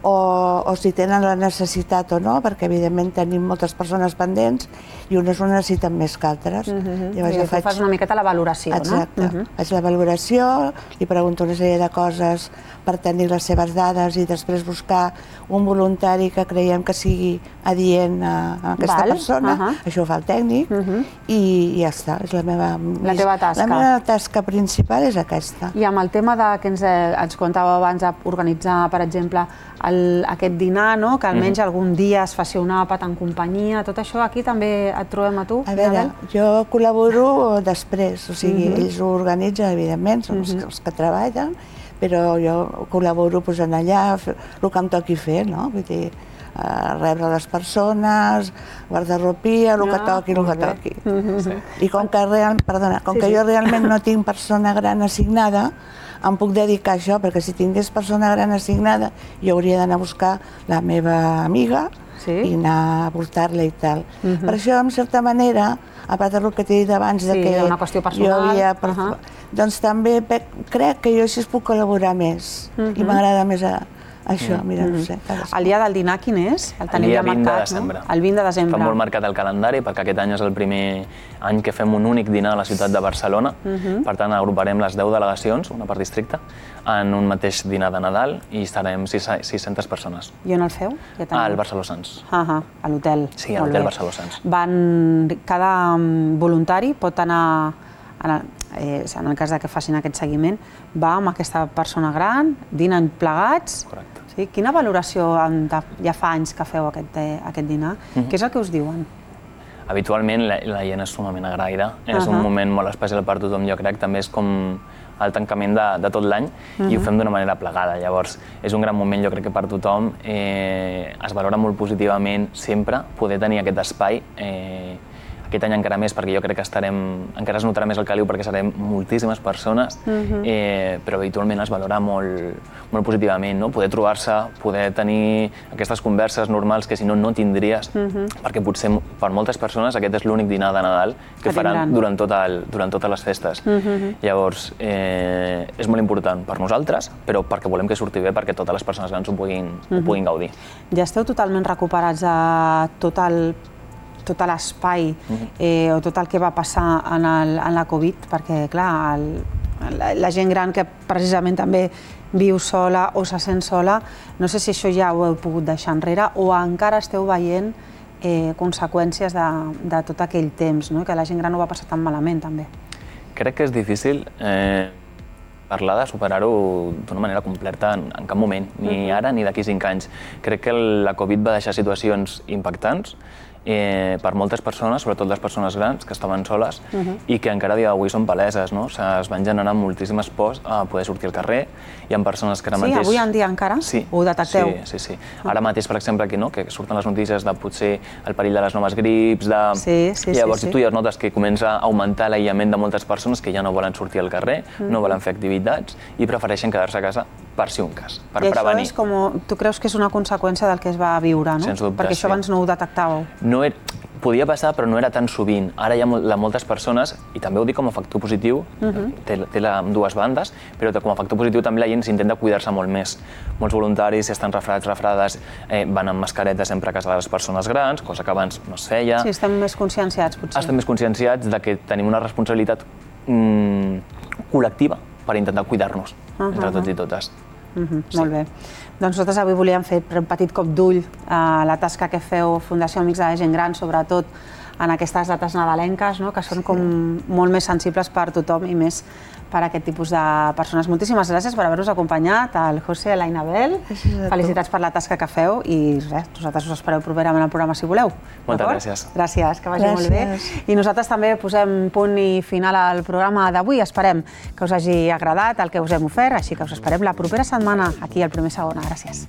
Speaker 5: o si tenen la necessitat o no, perquè evidentment tenim moltes persones pendents i unes ho necessiten més que altres.
Speaker 1: Tu fas una miqueta la valoració, no?
Speaker 5: Exacte. Faig la valoració, li pregunto una sèrie de coses per tenir les seves dades i després buscar un voluntari que creiem que sigui adient a aquesta persona. Això ho fa el tècnic i ja està.
Speaker 1: La teva tasca.
Speaker 5: La meva tasca principal és aquesta.
Speaker 1: I amb el tema que ens comentàveu abans d'organitzar, per exemple, aquest dinar, que almenys algun dia es faci un àpat en companyia, tot això aquí també et trobem a tu?
Speaker 5: A veure, jo col·laboro després, o sigui, ells ho organitzen, evidentment, són els que treballen, però jo col·laboro posant allà el que em toqui fer, no? Vull dir, rebre les persones, guardarropia, el que toqui, el que toqui. I com que jo realment no tinc persona gran assignada, em puc dedicar a això, perquè si tingués persona gran assignada, jo hauria d'anar a buscar la meva amiga i anar a portar-la i tal. Per això, en certa manera, a part del que t'he dit abans, que jo havia... Doncs també crec que jo així puc col·laborar més i m'agrada més això, mira, no sé.
Speaker 1: El dia del dinar quin és?
Speaker 4: El dia vint de desembre.
Speaker 1: El vint de desembre.
Speaker 4: Està molt marcat el calendari perquè aquest any és el primer any que fem un únic dinar a la ciutat de Barcelona. Per tant, agruparem les deu delegacions, una per districte, en un mateix dinar de Nadal i estarem sis-centes persones.
Speaker 1: I on el feu?
Speaker 4: Al Barceló Sants.
Speaker 1: A l'hotel.
Speaker 4: Sí, a l'hotel Barceló Sants.
Speaker 1: Cada voluntari pot anar, en el cas que facin aquest seguiment, va amb aquesta persona gran, dinen plegats.
Speaker 4: Correcte.
Speaker 1: Quina valoració ja fa anys que feu aquest dinar? Què és el que us diuen?
Speaker 4: Habitualment la gent és sumament agraïda. És un moment molt especial per tothom, jo crec. També és com el tancament de tot l'any i ho fem d'una manera plegada. Llavors, és un gran moment, jo crec que per tothom. Es valora molt positivament sempre poder tenir aquest espai. Aquest any encara més, perquè jo crec que estarem, encara es notarà més el caliu perquè serem moltíssimes persones, però habitualment es valora molt positivament, poder trobar-se, poder tenir aquestes converses normals que si no, no tindries, perquè potser per moltes persones aquest és l'únic dinar de Nadal que faran durant totes les festes. Llavors, és molt important per nosaltres, però perquè volem que surti bé perquè totes les persones grans ho puguin gaudir.
Speaker 1: Ja esteu totalment recuperats a tot el tot l'espai o tot el que va passar en la Covid, perquè, clar, la gent gran que precisament també viu sola o se sent sola. No sé si això ja ho heu pogut deixar enrere o encara esteu veient conseqüències de tot aquell temps, que la gent gran ho va passar tan malament, també.
Speaker 4: Crec que és difícil parlar de superar-ho d'una manera completa en cap moment, ni ara ni d'aquí cinc anys. Crec que la Covid va deixar situacions impactants per moltes persones, sobretot les persones grans que estaven soles i que encara a dia d'avui són paleses. Es van generar moltíssimes pors a poder sortir al carrer. Hi ha persones que ara mateix...
Speaker 1: Sí, avui en dia encara? Ho detecteu?
Speaker 4: Sí, sí, sí. Ara mateix, per exemple, aquí, que surten les notícies de potser el perill de les noves grips, de... Llavors tu ja notes que comença a augmentar l'aïllament de moltes persones que ja no volen sortir al carrer, no volen fer activitats i prefereixen quedar-se a casa per si un cas, per prevenir.
Speaker 1: I això és com... Tu creus que és una conseqüència del que es va viure, no?
Speaker 4: Sens dubte, sí.
Speaker 1: Perquè això abans no ho detectàveu.
Speaker 4: No era... Podia passar, però no era tan sovint. Ara hi ha moltes persones, i també ho dic com a factor positiu, té dues bandes, però com a factor positiu també la gent s'intenta cuidar-se molt més. Molts voluntaris, si estan refredats, refredades, van amb mascareta sempre a casa de les persones grans, cosa que abans no es feia.
Speaker 1: Sí, estem més conscienciats, potser.
Speaker 4: Estem més conscienciats que tenim una responsabilitat col·lectiva per intentar cuidar-nos entre tots i totes.
Speaker 1: Molt bé. Doncs nosaltres avui volíem fer un petit cop d'ull a la tasca que feu Fundació Amics de la Gent Gran, sobretot en aquestes dates nadalenques, que són com molt més sensibles per tothom i més per a aquest tipus de persones. Moltíssimes gràcies per haver-nos acompanyat, el José i l'Ainabel. Felicitats per la tasca que feu i res, nosaltres us espereu properament al programa si voleu.
Speaker 4: Moltes gràcies.
Speaker 1: Gràcies, que vagi molt bé. I nosaltres també posem punt i final al programa d'avui. Esperem que us hagi agradat el que us hem ofert, així que us esperem la propera setmana aquí al Primer Segona. Gràcies.